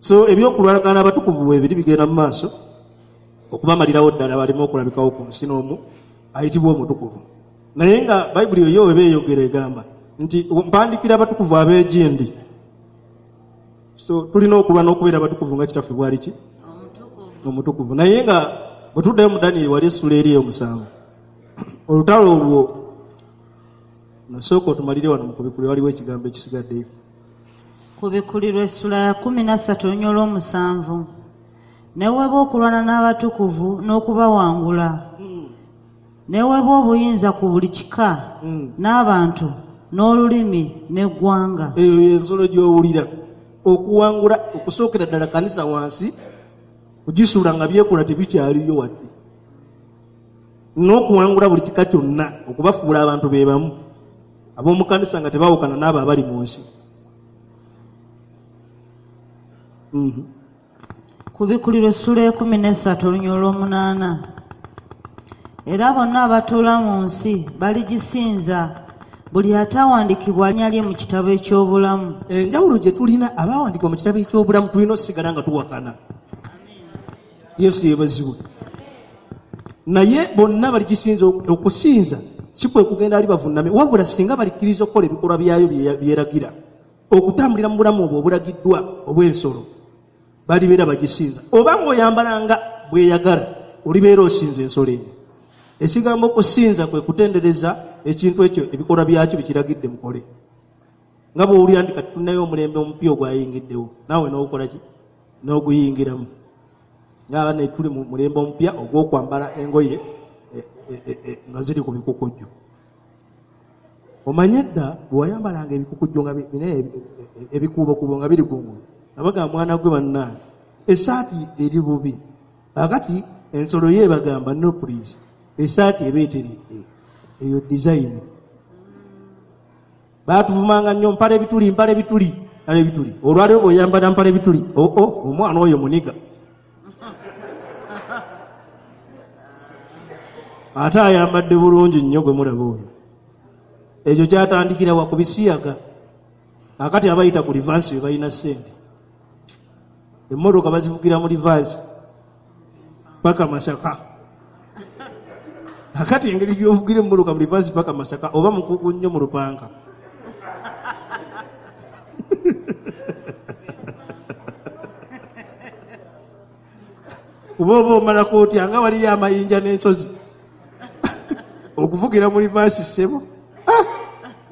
So ebyokulwalagana abatukuvu bwebiri bigenda mu maaso okubamalirawo ddala baleme okulabikawo ku nsi n'omu ayitibwa omutukuvu. Naye nga Bayibuli eyo weba eyogera egamba nti mpandikira abatukuvu ab'egindi. So tulina okulwa n'okubeera abatukuvu nga kitaffe bwali ki? Omutukuvu. Naye nga bwe tuddayo mu Danyeri wali essula eri ey'omusanvu, olutalo olwo nasooka otumalire wano mu kubikulirwa, waliwo ekigambo ekisigaddeyo. Kubikulirwa essula ya 13 olw'omusanvu. Neweebwa okulwana n'abatukuvu n'okubawangula. Neweebwa obuyinza ku buli kika n'abantu n'olulimi n'eggwanga. Eyo y'ensolo gy'owulira. Okuwangula okusookera ddala kanisa wansi kugisuula nga byekola tebikyaliyo wadde, n'okuwangula buli kika kyonna okubafuula abantu be bamu ab'omu kanisa nga tebaawukana n'abo abali mu nsi. Kubikulirwa essula 13 olw'8. Era bonna abatuula mu nsi baligisinza, buli atawandiikibwa linnya lye mu kitabo eky'obulamu. Enjawulo gye tulina abaawandiikibwa mu kitabo eky'obulamu tulina osigala nga tuwakana. Yesu yeebazibwe. Naye bonna baligisinza. Okusinza si kwe kugenda ali bavunname, wabula singa balikkiriza okukola ebikolwa byayo byeragira, okutambulira mu bulamu obwo obulagiddwa obw'ensolo, balibeera bagisinza. Oba ng'oyambalanga bweyagala, olibeera osinza ensolo eyo. Ekigambo okusinza kwe kutendereza ekintu ekyo ebikolwa byakyo bikiragidde mukole. Nga bw'owulira nti kati tulinayo omulembe omupya ogwayingiddewo, naawe n'ogukola ki? N'oguyingiramu. Nga ne tuli mu mulembe omupya ogw'okwambala engoye nga ziri ku bikukujju. Omanye dda bwe wayambalanga ebikukujju nga binene ebikuubokuubo nga biri kungulu, abagamba mwana gwe bannange essaati eri bubi. Akati ensolo ye ebagamba no please, essaati eba eteredde, eyo design. Baatuvumanga nnyo mpala ebituli, mpala ebituli, mpala ebituli. Olwaleero bw'oyambala mpala ebituli, oo omwana oyo muniga. Ate ayambadde bulungi nnyo gwe mulaba oyo. Ekyo kyatandikira wa ku bisiyaga. Akati abayita ku livansi be balina ssente. Emmotoka bazivugira mu livansi paka Masaka. Akati engeri gy'ovugira emmotoka mu livansi paka Masaka oba mukugu nnyo mu lupanka. Kuba oba omalako otya nga waliyo amayinja n'ensozi. Okuvugira mu livansi ssebo.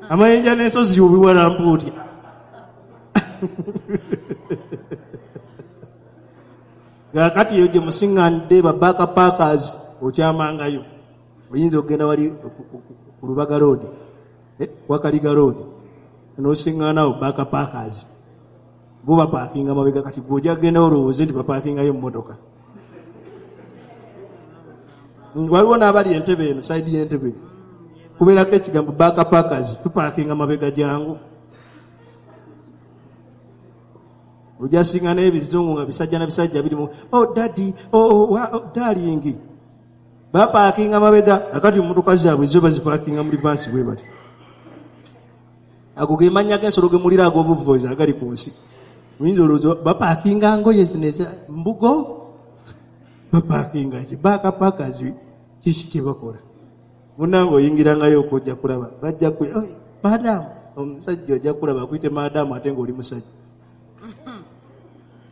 Amayinja n'ensozi obiwalampa otya? Kaakati eyo gye musiŋŋaanidde ba backpackers okyamangayo. Oyinza okugenda wali ku Lubaga Road, Wakaliga Road, n'osiŋŋaanawo backpackers bo bapaakinga mabega. Kati gwe ojja kugenda olowooze nti bapaakingayo emmotoka. Waliwo n'abali entebe eno, sayidi y'entebe kubeerako ekigambo backpackers, tupaakinga mabega, jangu. Ojja siŋŋaana ebizungu nga bisajja na bisajja birimu, oh daddy, oh, oh darling, bapaakinga mabega. Akati mmotoka zaabwe zo bazipaakinga mu reverse bwe bati. Ago ge mannya g'ensolo ge mulira ag'obuvuzi agali ku nsi. Oyinza olowooza bapaakinga ngoye zino eza mbugo, bapaakinga ki? Backpackers kiki kye bakola? Munnange oyingirangayo okujja kulaba, bajja ku madam, omusajja ojja kulaba akuyite madam ate ng'oli musajja.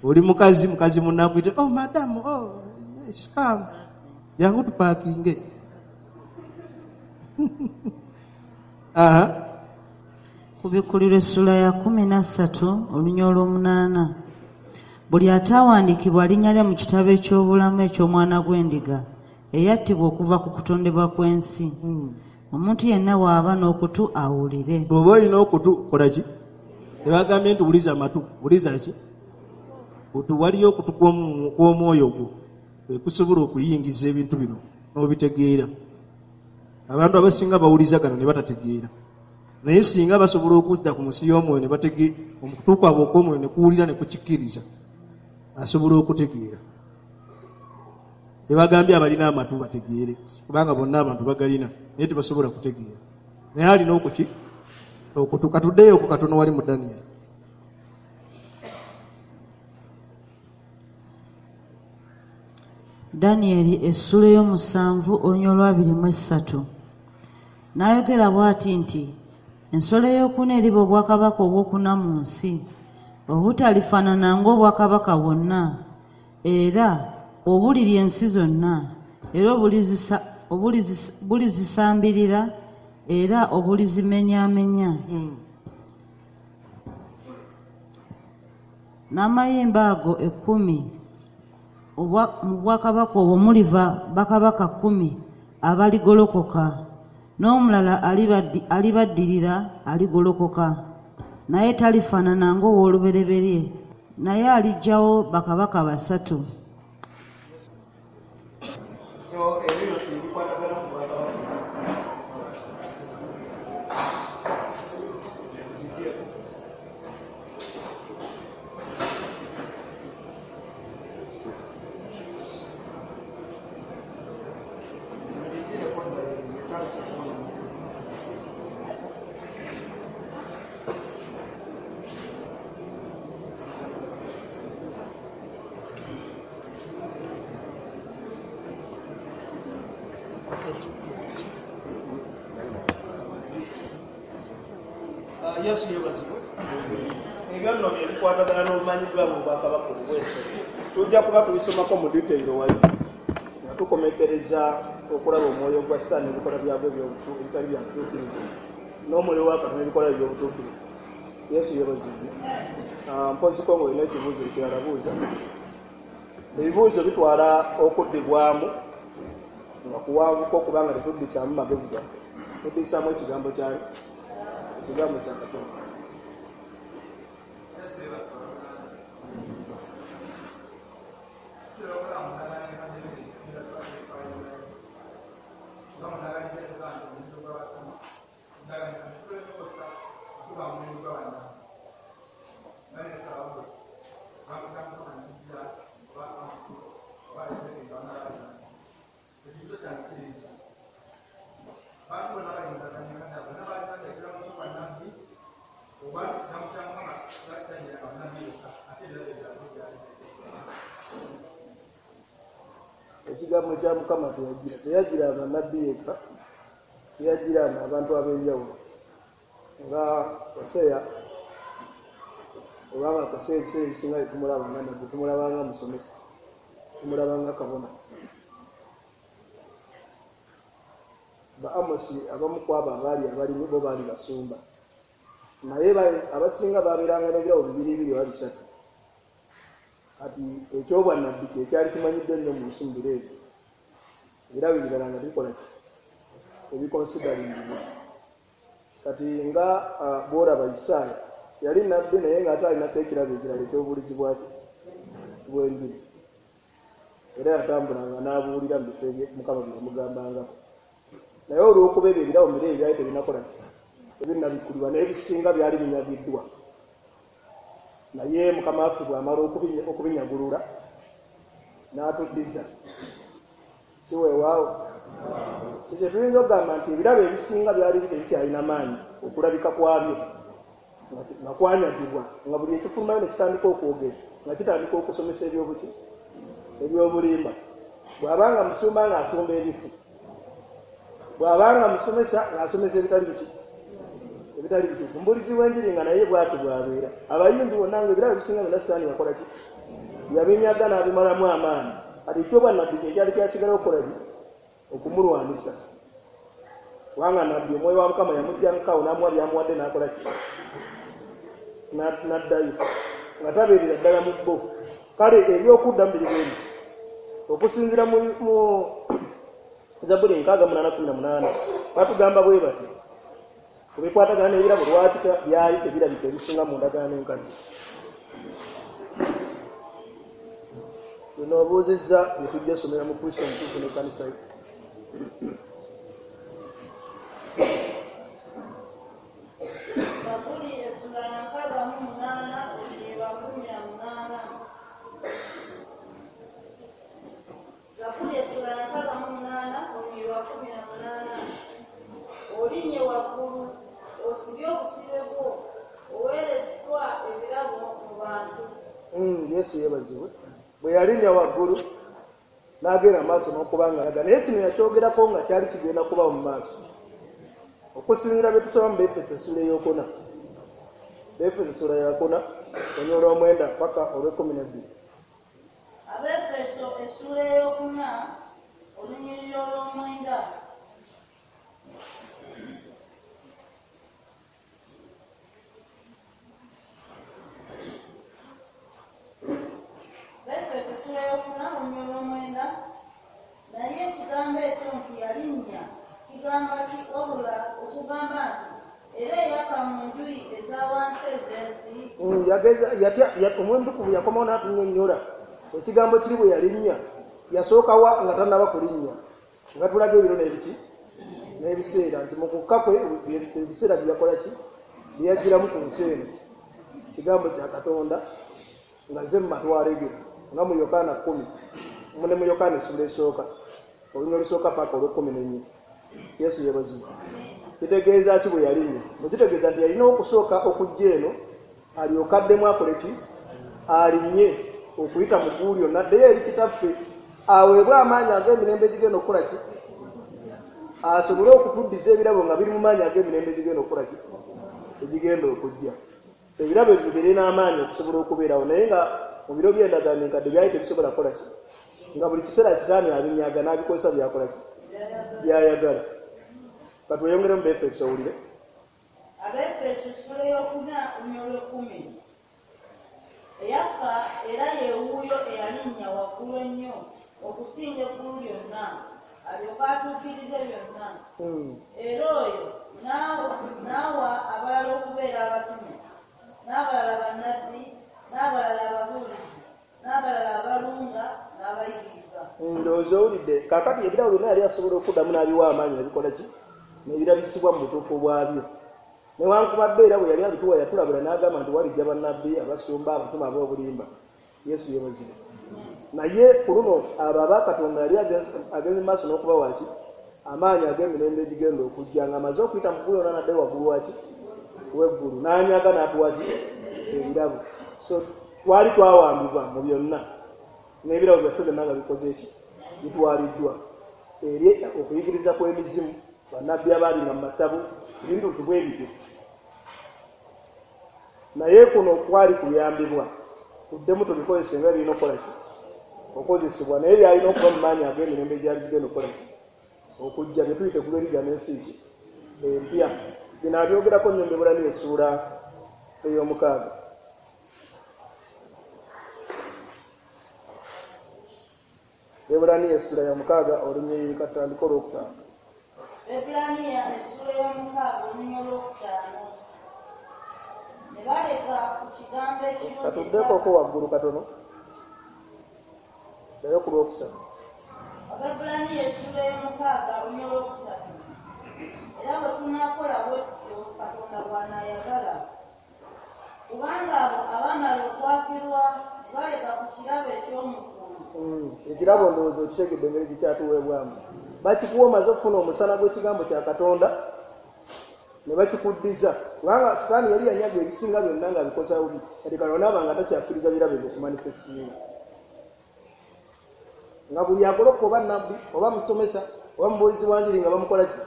Oli mukazi, mukazi munne akuyite, oh madam, oh yes, come, jangu tupaakinge. Aha. Kubikkulirwa essula ya 13 olunya olw'omunaana. Buli ataawandiikibwa linnya lye mu kitabo eky'obulamu eky'omwana gw'endiga eyattibwa okuva ku kutondebwa kw'ensi. Omuntu yenna bw'aba n'okutu awulire. Bw'oba olina okutu kola ki? Tebagambye nti wuliza amatu, wuliza ki? Kutu. Waliyo okutu kw'omwoyo gwo kwe kusobola okuyingiza ebintu bino n'obitegeera. Abantu abasinga bawuliza gano ne batategeera. Naye singa basobola okudda ku nsi y'omwoyo ne bategeera, okutu kwabwe okw'omwoyo ne kuwulira ne kukikkiriza, asobola okutegeera. Tebagambye abalina amatu bategeere, kubanga bonna abantu bagalina naye tebasobola kutegeera. Naye alina okuki? Okutu. Katuddeyo ku katono wali mu Daniel. Daniel essula ey'omusanvu olunya olw'abiri mu esatu. N'ayogera bw'ati nti ensolo ey'okuna eriba obwakabaka obwokuna mu nsi, obutalifaanana ng'obwakabaka bwonna, era obulirya ensi zonna, era obulizisambirira, era obulizimenyaamenya. N'amayembe ago 10 mu bwakabaka obwo muliva bakabaka 10 abaligolokoka, n'omulala alibaddirira aligolokoka, naye talifaanana ng'ow'olubereberye, naye aliggyawo bakabaka 3. So ebyo bikwatagana ku bwakabaka. Yesu yeebazibwe. Ebyo nno bye bikwatagana n'obumanyiddwa mu bwakabaka obw'ensolo. Tujja kuba tubisomako mu detail wali nga tukomekereza okulaba omwoyo gwa Sitaani n'ebikolwa byagwo ebitali bya butuukirivu, n'omwoyo wa Katonda n'ebikolwa eby'obutuukirivu. Yesu yeebazibwe. Mpoziko ng'olina ekibuuzo ekirala buuza. Ebibuuzo bitwala okuddibwamu nga kuwanvuka okubanga tetuddisaamu magezi gaffe, tuddisaamu ekigambo kyayo, ekigambo kya Katonda. Ekigambo kya Mukama teyagiranga nabbi yekka, teyagiranga abantu ab'enjawulo nga Hoseya, obanga Hoseya ebiseera ebisinga tetumulabanga nabbi, tumulabanga musomesa, tumulabanga kabona. Ba Amosi abamu ku abo abaali abalimi bo baali basumba, naye abasinga baabeeranga n'ebirabo bibiri bibiri oba bisatu. Kati ekyobwannabbi kye kyali kimanyiddwa ennyo mu nsi mu biro ebyo, ebirabo ebirala nga tebikola ki, ebikonsidaringibwa. Kati nga bw'olaba Isaaya yali nabbi, naye ng'ate alinako ekirabo ekirala ekyobubulizi bwaki bw'enjiri, era yatambulanga n'abuulira mu bifo Mukama bye yamugambangako. Naye olw'okuba ebyo ebirabo mire ebyali tebinakola tebinnabikkulibwa, naye ebisinga byali binyagiddwa. Naye Mukama waffe bw'amala okubinyagulula n'atuddiza, si weewaawo? Ekyo tuyinza okugamba nti ebirabo ebisinga byali tebikyalina maanyi okulabika kwabyo nga kwanyagibwa, nga buli ekifulumayo ne kitandika okwogera nga kitandika okusomesa ebyobuki ebyobulimba. Bw'abanga musumba ng'asumba ebifu, bw'abanga musomesa ng'asomesa ebitali biki ebitali bituufu, mbulizi w'enjiri nga naye bw'ati bw'abeera. Abayimbi bonna nga ebirabo ebisinga byonna Sitaani yakola ki? Yabinyaga n'abimalamu amaanyi. Kati ekyobwannabbi kye kyali kyasigalawo okukola ki? Okumulwanisa. Kubanga nabbi omwoyo wa Mukama yamuggyangako n'amuwa by'amuwadde n'akola ki? N'addayo nga tabeerera ddala mu bo. Kale ebyokuddamu biri bweri okusinziira mu Zabbuli 68:18 batugamba bwe bati ku bikwatagana n'ebirabo lwaki byali tebirabika ebisinga mu ndagaano enkadde. Bino obuuzizza bye tujja osomera mu Kristo omutuufu n'ekkanisa ye. Zabbuli 68:18. Zabbuli 68:18. Olinnye waggulu, osibye obusibe bwo, oweereddwa ebirabo mu bantu. Yesu yeebazibwe. Bwe yalinnya waggulu n'agenda maaso n'okuba ng'alaga, naye kino yakyogerako nga kyali kigenda kubawo mu maaso. Okusinziira bye tusoma mu Befeso essula 4, Befeso essula 4 olunyiriri 9 paka 12. Abefeso essula 4 olunyiriri 9. Befeso essula 4 olunyiriri 9. Naye ekigambo ekyo nti yalinnya kigamba ki wabula okugamba nti era eyaka mu njuyi eza wansi ez'ensi? Omwoyo Omutukuvu yakomawo n'atunnyonnyola ekigambo kiri bwe yalinnya yasookawa nga tannaba kulinnya, nga tulaga ebiro n'ebiki n'ebiseera nti mu kukka kwe ebiseera bye yakola ki bye yagiramu ku nsi eno kigambo kya Katonda nga ze mu matwale ge, nga mu Yokaana 10 ne mu Yokaana essula esooka olunyiriri olusooka paka 14. Yesu yeebazibwe. Kitegeeza ki bwe yalinnya? Mukitegeeza nti yalina okusooka okujja eno alyoke addemu akole ki? Alinnye okuyita mu ggulu lyonna addeyo eri Kitaffe aweebwe amaanyi ag'emirembe egigenda okukola ki? Asobole okutuddiza ebirabo nga biri mu maanyi ag'emirembe egigenda okukola ki? Egigenda okujja. Ebirabo ebyo birina amaanyi okusobola okubeerawo, naye nga mu biro by'endagaano enkadde byali tebisobola kukola ki? Nga buli kiseera Sitaani abinyaga n'abikozesa byakola ki? Byayagala. Katweyongere mu Befeso owulire. Abefeso essula 4 10. Eyakka era ye wuuyo eyalinnya waggulu ennyo okusinga eggulu lyonna, alyoke atuukirize byonna. Era oyo n'awa abalala okubeera abatume, n'abalala bannabbi, n'abalala ababuulizi, n'abalala abalunga n'abayigiriza. Ndowooza owulidde. Kaakati ebirabo byonna yali asobola okuddamu n'abiwa amaanyi nebikola ki? N'ebirabisibwa mu butuufu bwabyo. Newankubadde era bwe yali abituwa yatulabula n'agamba nti walijja bannabbi, abasumba, abatume ab'obulimba. Yesu yeebazibwe. Naye ku luno abo aba Katonda yali agenze maaso n'okubawa ki? Amaanyi ag'emirembe egigenda okujja, ng'amaze okuyita mu ggulu yonna n'addayo waggulu waki? W'eggulu, n'anyaga n'atuwa ki? Ebirabo. So twali twawambibwa mu byonna, n'ebirabo byaffe byonna nga bikoze ki? Bitwaliddwa eri okuyigiriza kw'emizimu, bannabbi abaalinga mu masabo, ebintu bwe bityo. Naye kuno kwali kuyambibwa tuddemu tubikozese nga birina okukola ki? Okozesebwa, naye byalina okuba mu maanyi ag'emirembe egyali gigenda okukola ki? Okujja, bye tuyita eggulu eriggya n'ensi ki? Empya. Bino abyogerako nnyo mu Baebbulaniya essuula 6. Baebbulaniya essula 6 olunyiriri katandika 5. Abaebbulaniya essula ey'omukaaga olunyiriri olwokutaano. Ne baleka ku kigambo ekirungi Katuddeko waggulu katono, ddayo ku lwokusatu. Abaebbulaniya essula ey'omukaaga olunyiriri olwokusatu. Era bwe tunaakola bwe tutyo Katonda bw'anaayagala. Kubanga abo abaamala okwakirwa ne baleka ku kirabo eky'omu ggulu. Ekirabo ndowooza okitegedde engeri gikyatuweebwamu. Bakikuwa omaze okufuna omusana gw'ekigambo kya Katonda ne bakikuddiza, kubanga Sitaani yali yanyaga ebisinga byonna ng'abikoza bubi. Kati kano naaba nga takyakkiriza birabo ebyo okumanifestinga, nga buli agoloka oba nabbi oba musomesa oba mubuulizi wa njiri nga bamukola ki,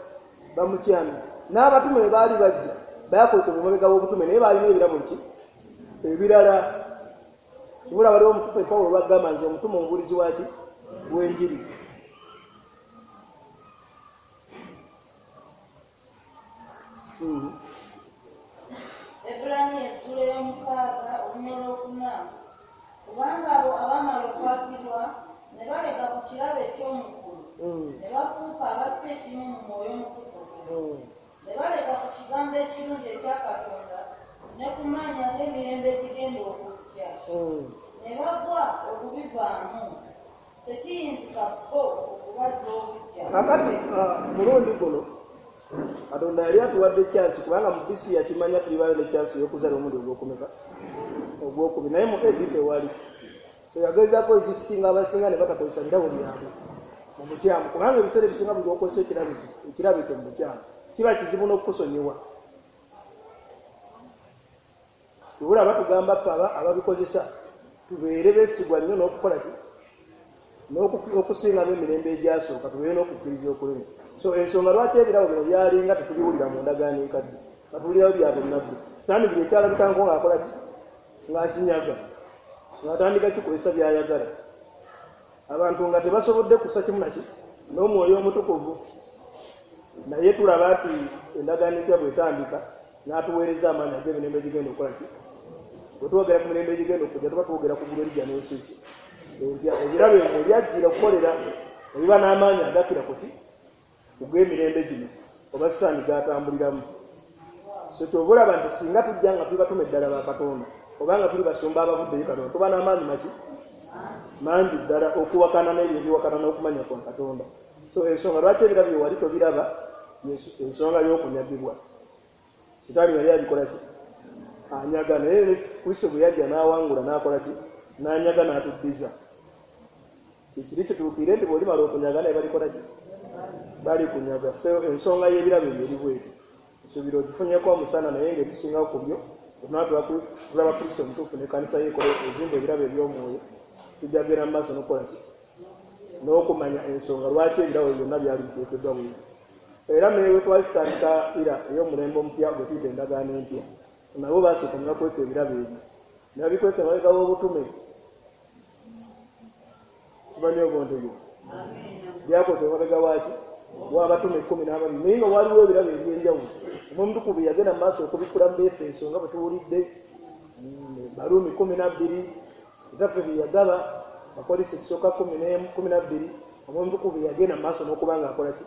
bamukyamiza. N'abatume bwe baali bajja bayakwekebwa emabega w'obutume, naye baalina ebirabo ki ebirala. Kibula waliwo omutume Pawulo lwagamba nti omutume omubuulizi waki w'enjiri. Abaebbulaniya essula ey'omukaaga olunyiriri olwokuna. Kubanga abo abaamala okwakirwa ne baleka ku kirabo eky'omu ggulu, ne bafuuka abassa ekimu mu Mwoyo Omutukuvu. Ne baleka ku kigambo ekirungi ekya Katonda ne ku maanyi ag'emirembe egigenda okujja. Ne bagwa okubivaamu. Tekiyinzika bo okubazza obuggya. Kakati mulundi guno Katonda yali atuwadde chance, kubanga mu BC yakimanya tulibayo ne chance ey'okuzaala omulundi ogwokumeka ogwokubiri, naye mu AD tewali. So yagezaako ezisinga abasinga ne batakozesa birabo byabwe mu bukyamu, kubanga ebiseera ebisinga buli lw'okozesa ekirabo ekyo mu bukyamu kiba kizibu n'okukusonyiwa. Tubula batugamba ffe ababikozesa tubeere beesigwa nnyo n'okukola ki n'okusingamu emirembe egyasooka, tubeere n'okukkiriza okunene. So ensonga lwaki ebirabo bino byalinga tetubiwulira mu ndagaano enkadde, batuwulirayo bya bunnabbi. Sitaani buli ekyalabikangako ng'akola ki, ng'akinyaga, ng'atandika kikozesa by'ayagala. Abantu nga tebasobodde kussa kimu naki n'Omwoyo Omutukuvu. Naye tulaba nti endagaano empya bw'etandika n'atuweereza amaanyi ag'emirembe egigenda okukola ki. Bwe twogera ku mirembe egigenda okujja tuba twogera ku ggulu eriggya n'ensi ki empya. Ebirabo ebyo byajjira okukolera ebiba n'amaanyi agakira ku ki ogw'emirembe gino oba Sitaani gy'atambuliramu. So ky'ova olaba nti singa tujja nga tuli batume ddala ba Katonda oba nga tuli basumba abavudde eri Katonda, tuba n'amaanyi maki mangi ddala okuwakana n'ebyo ebiwakana n'okumanya kwa Katonda. So ensonga lwaki ebirabo bye wali tobiraba ensonga y'okunyagibwa. Sitaani yali abikola ki, anyaga, naye Kristo bwe yajja n'awangula n'akola ki, n'anyaga n'atuddiza. Ekiri kituukire nti bw'olimala okunyaga naye balikola ki, balikunyaga. So ensonga y'ebirabo ebyo eri bwetyo. Nsuubira ogifunyeko omusana, naye ng'ebisingawo ku byo tulaba Kristo omutuufu n'ekkanisa ye ekola ezimba ebirabo eby'omwoyo, tujja kugenda mu maaso n'okukola ki n'okumanya ensonga lwaki ebirabo byonna byali biteekeddwa bwebyo. Era ne twali tutandika era ey'omulembe omupya gwe tuyita endagaano empya, nabo baasooka ne bakweka ebirabo ebyo ne babikweka emabega w'obutume. Tumanyi obwontegere byakweka emabega waaki w'abatume 12, naye nga waliwo ebirabo eby'enjawulo. Omwoyo Omutukuvu yagenda mu maaso okubikkula mu Befeso nga bwe tuwulidde, Baruumi 12, Kitaffe bye yagaba, Bakolinso ekisooka 12. Omwoyo Omutukuvu yagenda mu maaso n'okuba ng'akola ki,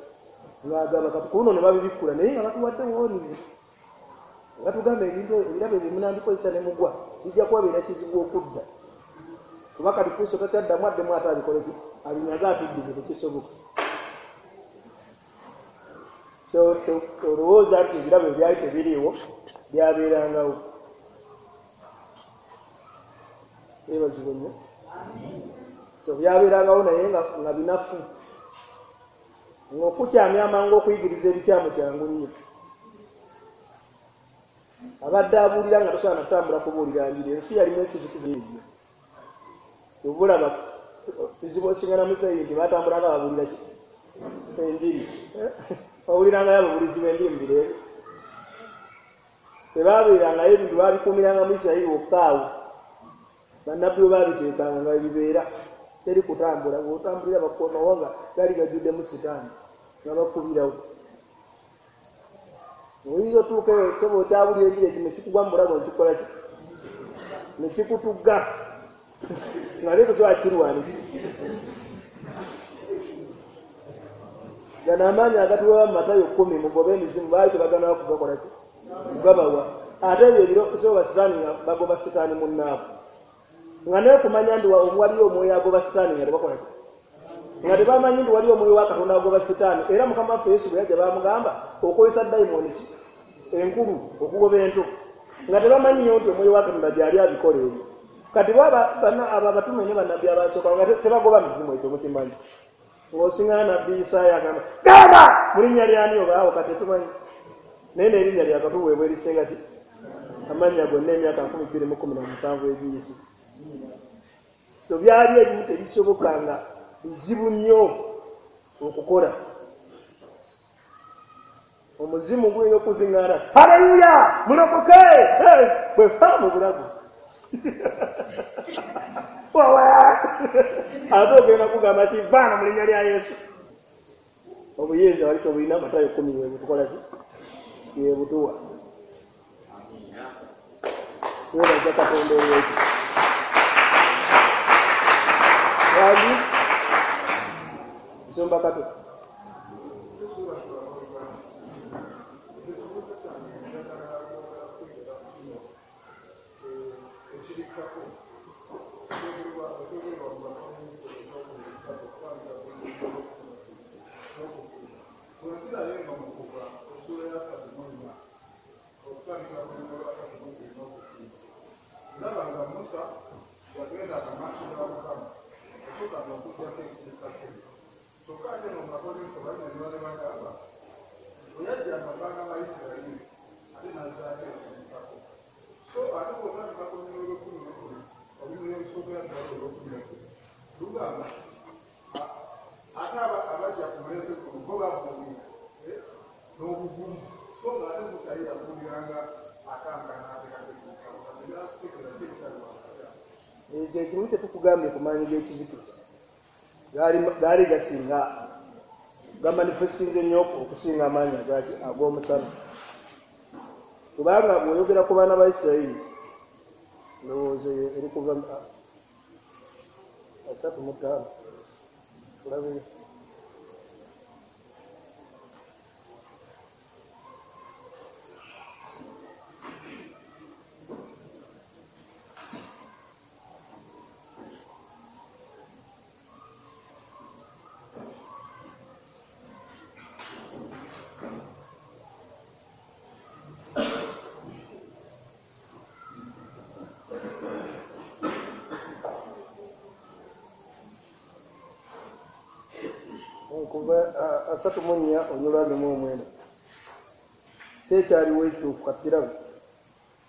ng'agaba. Kati ku luno ne babibikkula, naye nga batuwadde woonizi, batugamba ebintu ebirabo ebyo munandikozesa ne mugwa bijja kubabeera kizibu okudda, kuba kati Kristo takyaddamu addemu ate abikole ki, abinyaga atuddize, tekisoboka. So olowooza nti ebirabo ebyali tebiriiwo byabeerangawo. Yeebazibwe nnyo. So byabeerangawo naye nga binafu, ng'okukyamya amangu okuyigiriza ebikyamu kyangu nnyo. Abadde abuulira nga tosobola kutambula kubuulira njiri, ensi yalimu ekizikiza ebyo. Obulaba kizibu osingana muzeeyi nti batambulanga babuulira ki enjiri, bawulirangayo ababuulizi b'enjiri mu biro ebyo. Tebaabeerangayo ebintu baabikuumiranga mu Isirayiri wokka awo. Bannabbi bwe baabiteekanga nga bibeera teri kutambula, bw'otambulira bakukomawo nga gaali gajjuddemu Sitaani nga bakubirawo. Oyinza otuuka eyo sebo okyabulira enjiri ekyo ne kikugwa mu bulago ne kikola ki, ne kikutugga nga ate tosobola kukirwanisa. Gano amaanyi agatuweebwa mu Matayo 10 mugobe emizimu baali tebaganawo kugakola ki? Kugabawa. Ate ebyo ebiro so basitaani nga bagoba sitaani munnaabwe. Nga naye okumanya nti waliyo omwoyo agoba sitaani nga tebakola ki? Nga tebamanyi nti waliyo omwoyo wa Katonda agoba sitaani. Era Mukama waffe Yesu bwe yajja baamugamba okozesa dayimooni ki? Enkulu okugoba ento. Nga tebamanyi nti omwoyo wa Katonda gy'ali abikola ebyo. Kati abo abatume ne bannabbi abasooka nga tebagoba mizimu, ekyo mukimanyi. Ng'osinga nabbi Isaaya agamba gamba mu linnya lyani obaawo, kati tetumanyi. Naye n'erinnya lya katuweebwa erisinga ki? Amannya gonna emyaka 2017 egiyise. So byali ebimu tebisoboka nga bizibu nnyo okukola. Omuzimu guyinza okuziŋŋaana, haleluya, mulokoke, bwe fa mu bulago. Ate ogenda kugamba ki vaana mu linnya lya Yesu. Obuyinza wali tobulina, Matayo 10 webutukola ki? Yebutuwa. Webaza Katonda olwekyo. Wali nsumba Kato. Ekyo ekimu kye tukugambye ku maanyi g'ekizikiza gaali gasinga gamanifestinze nnyo okusinga amaanyi ag'omusana. Kubanga bw'oyogera ku baana ba Isirayiri, ndowooza eri kuva 35 tulabeyo. Kuva 34 onyolwa mu omwenda. Tekyaliwo ekituufu katukirabe.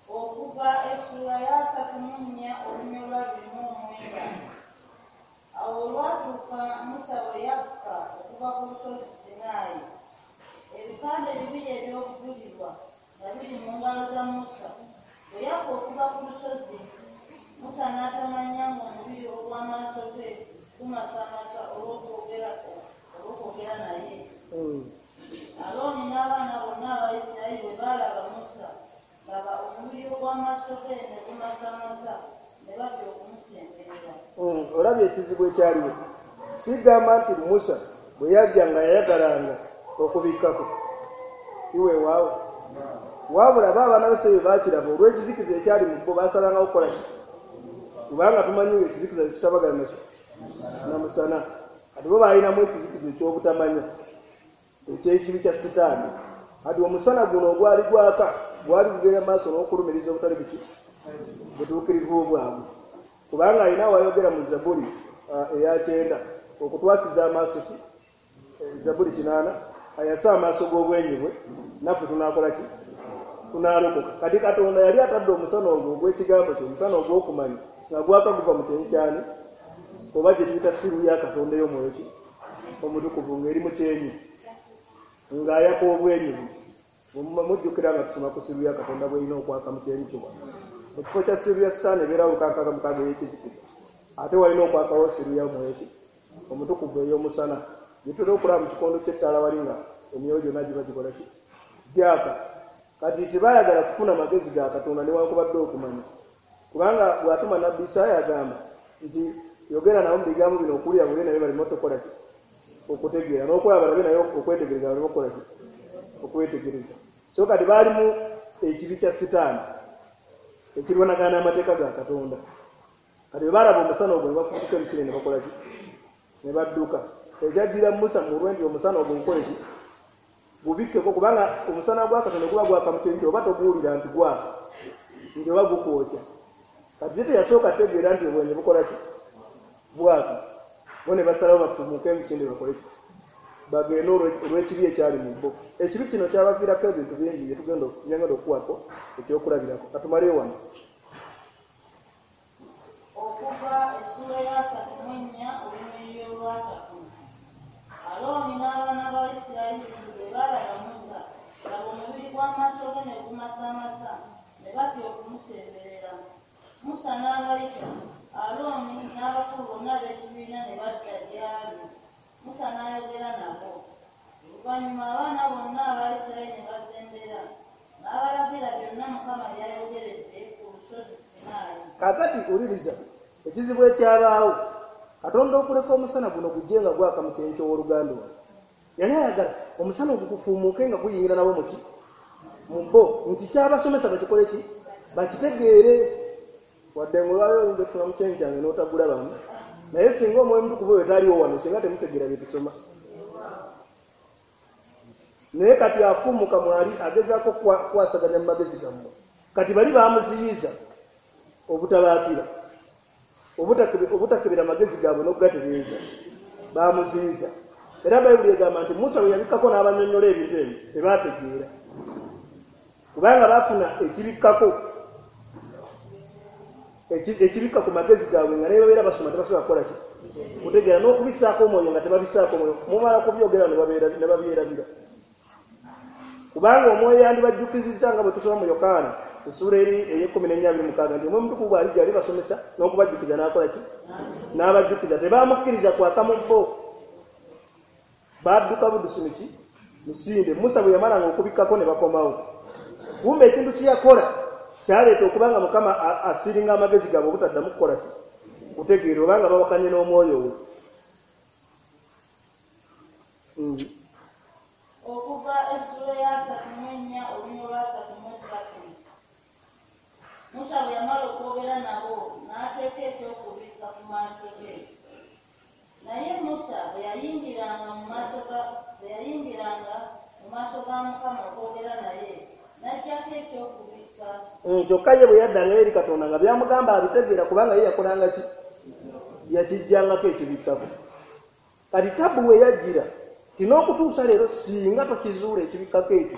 Okuva essula ya 34 olunyolwa 29. Awo olwatuuka Musa bwe yakka okuva ku lusozi Sinaayi, ebipande bibiri eby'obujulirwa nga biri mu ngalo za Musa. Bwe yakka okuva ku lusozi, Musa n'atamanya ng'omubiri ogw'amaaso ge gumasamasa olw'okwogera naye. Alooni n'abaana bonna aba Isirayiri bwe baalaba Musa, laba omubiri ogw'amaaso ge ne gumasamasa, ne batya okumusemberera. Olabye ekizibu ekyaliwo. Sigamba nti Musa bwe yajja nga yayagalanga okubikkako iweewaawo, wabula bo abaana ba Isirayiri baakiraba olw'ekizikiza ekyali mu bo, baasalangawo kukola ki? Kubanga tumanyi ekizikiza kitabagana nakyo na musana. Kati bo baalinamu ekizikiza eky'obutamanya eky'ekibi kya sitaani. Kati omusana guno ogwali gwaka gwali gugenda maaso n'okulumiriza obutali buki butuukirivu bwabwe. Kubanga alina wayogera mu Zabuli eya 9 okutwasiza amaaso ki? Zabuli 8 ayasa amaaso g'obwenyi bwe, naffe tunaakola ki? Tunaalokoka. Kati Katonda yali atadde omusana ogwo ogw'ekigambo kye, omusana ogw'okumanya nga gwaka guva mu kyenyi kyani oba gye tuyita siru ya Katonda ey'omwoyo ki? Omutukuvu ng'eri mu kyenyi ng'ayaka obwenyi bwe. Mujjukira nga tusoma ku siru ya Katonda bw'erina okwaka mu kyenyi kye wano. Mu kifo kya siru ya Sitaani ebeerawo 66 ey'ekizikiza, ate walina okwakawo siru ya mwoyo ki? Omutukuvu ey'omusana. Gye tutera okulaba mu kikondo ky'ettaala wali nga emyoyo gyonna giba gikola ki? Gyaka. Kati tebaayagala kufuna magezi ga Katonda newankubadde okumanya. Kubanga bw'atuma nabbi Isaaya agamba nti yogera nabo mu bigambo bino okuwulira buli naye baleme otokola ki? Okutegeera n'okulaba balabe naye okwetegereza baleme okukola ki? Okwetegereza. So kati baalimu ekibi kya Sitaani ekirwanagana n'amateeka ga Katonda. Kati bwe baalaba omusana ogwo ne bafubutuka emisinde ne bakola ki? Ne badduka. Ekyajjira Musa mu lwe nti omusana ogwo gukole ki? Gubikkeko, kubanga omusana gwa Katonda guba gwaka mu kintu oba toguwulira nti gwaka, nti oba gukwokya. Kati ye teyasooka tegeera nti obwenyi bukola ki? Bwaka. Bo ne basalawo bafumuuke emisinde bakole ki? Bagende olw'ekibi ekyali mu bo. Ekibi kino kyabaviirako ebintu bingi bye tugenda okuwako ekyokulabirako. Katumaleyo wano. Okuva essuula ya 34 olunyiriri olwasatu. Alooni n'abaana ba Isirayiri bwe baalaba Musa, laba omubiri gw'amaaso ge ne gumasamasa, ne batya okumusemberera. Musa n'abayita, Alooni n'abakulu bonna ab'ekibiina ne badda gy'ali. Musa n'ayogera nabo. Oluvannyuma abaana bonna aba Isirayiri ne basembera, n'abalagira byonna Mukama by'ayogeredde ku lusozi Sinaayi. Kaakati wuliriza ekizibu ekyabaawo. Katonda okuleka omusana guno gujje nga gwaka mu kyenyi ky'owooluganda ono. Yali ayagala omusana ogwo gufuumuuke nga guyingira nabo muki? Mu bo. Nti kyabasomesa bakikole ki? Bakitegeere. Wadde ng'olwaleero oyinza okusoma mu kyenyi kyange n'otagulabamu, naye singa Omwoyo Omutukuvu oyo taliwo wano, singa temutegeera bye tusoma. Naye kati afuumuka mwali agezaako kukwasaganya mu magezi gammwe. Kati bali baamuziyiza obutabaakira, obutakebera magezi gaabwe n'okugatereeza. Baamuziyiza. Era Bayibuli egamba nti Musa bwe yabikkako n'abanyonnyola ebintu ebyo, tebaategeera. Kubanga baafuna ekibikkako, ekibikka ku magezi gaabwe nga naye babeera basoma tebasobola kukola ki? Kutegeera n'okubissaako omwoyo nga tebabisaako omwoyo. Mumala kubyogera ne babyerabira. Kubanga omwoyo yandibajjukizizza nga bwe tusoma mu Yokaana essuula eri ey'e14:26 nti Omwoyo Omutukuvu bw'alijja alibasomesa n'okubajjukiza n'akola ki? N'abajjukiza. Tebamukkiriza kwaka mu bo. Badduka buddusi miki? Misinde. Musa bwe yamalanga okubikkako ne bakomawo. Kumbe ekintu kye yakola kyaleeta okuba nga Mukama asiringa amagezi gaabwe obutaddamu kukola ki? Kutegeera, obanga bawakanye n'omwoyo we. Okuva essuula ya 34 olunyiriri lwa 33. Musa bwe yamala okwogera nabo, n'ateeka ekyokubikka ku maaso ge. Naye Musa bwe yayingiranga mu maaso ga Mukama okwogera naye, n'aggyako ekyokubikka. Kyokka ye bwe yaddangayo eri Katonda nga by'amugamba abitegeera, kubanga ye yakolanga ki? Yakiggyangako ekibikkako. Kati tabu we yajjira ti n'okutuusa leero singa tokizuula ekibikkako ekyo,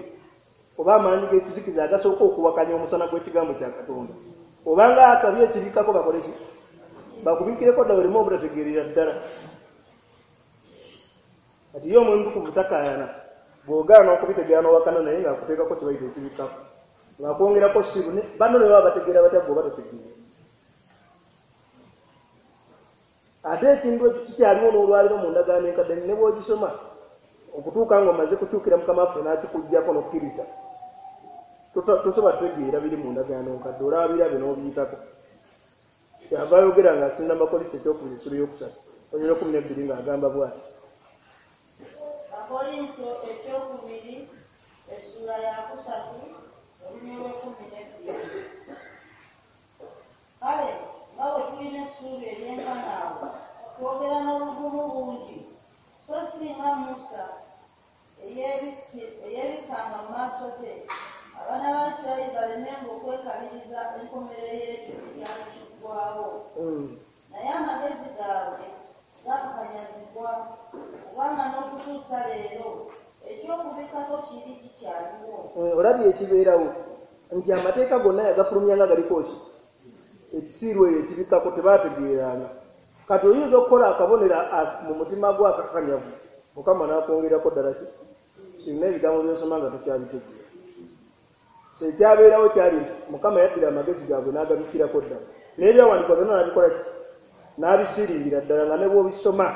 oba amaanyi g'ekizikiza agasooka okuwakanya omusana gw'ekigambo kya Katonda, obanga asabye ekibikkako bakole ki? Bakubikkireko ddala oleme obutategeerera ddala. Kati ye Omwoyo Omutukuvu takaayana, bw'ogaana okubitegeera n'owakana naye ng'akuteekako kye bayita ekibikkako, ng'akwongerako siru banno ne baba bategeera batya ggwe oba totegeera. Ate ekintu ekyo kikyaliwo n'olwaleero mu ndagaano enkadde ne bw'ogisoma okutuuka ng'omaze kukyukira Mukama waffe n'akikuggyako n'okkiriza, tosobola kutegeera biri mu ndagaano nkadde, olaba birabe n'obiyitako. Kyava ayogera ng'asinza Abakolinso ekyokubiri essuula ey'okusatu olunyiriri 12 ng'agamba bw'ati. Abakolinso ekyokubiri essuula ya 3 olunyiriri 12. Kale nga bwe tulina essuubi eryenkana awo, twogera n'obuvumu bungi, so si nga Musa eyeebikkanga mu maaso ge, abaana ba Isirayiri balemenga okwekaliriza enkomerero y'ekyo ekyali kiggwaawo. Naye amagezi gaabwe gaakakanyazibwa, kubanga n'okutuusa leero ekyokubikkako kiri kikyaliwo. Olabye ekibeerawo nti amateeka gonna yagafulumya nga galiko ki? Ekisiiru eyo ekibikkako tebaategeeranga. Kati oyinza okukola akabonero mu mutima gwo akakanyavu, Mukama n'akwongerako ddala ki? Kirina ebigambo by'osoma nga tokyabitegeera. Ekyabeerawo kyali nti Mukama yaddira amagezi gaabwe n'agabikkirako ddala. N'ebyawandiikibwa byonna n'abikola ki? N'abisiringira ddala nga ne bw'obisoma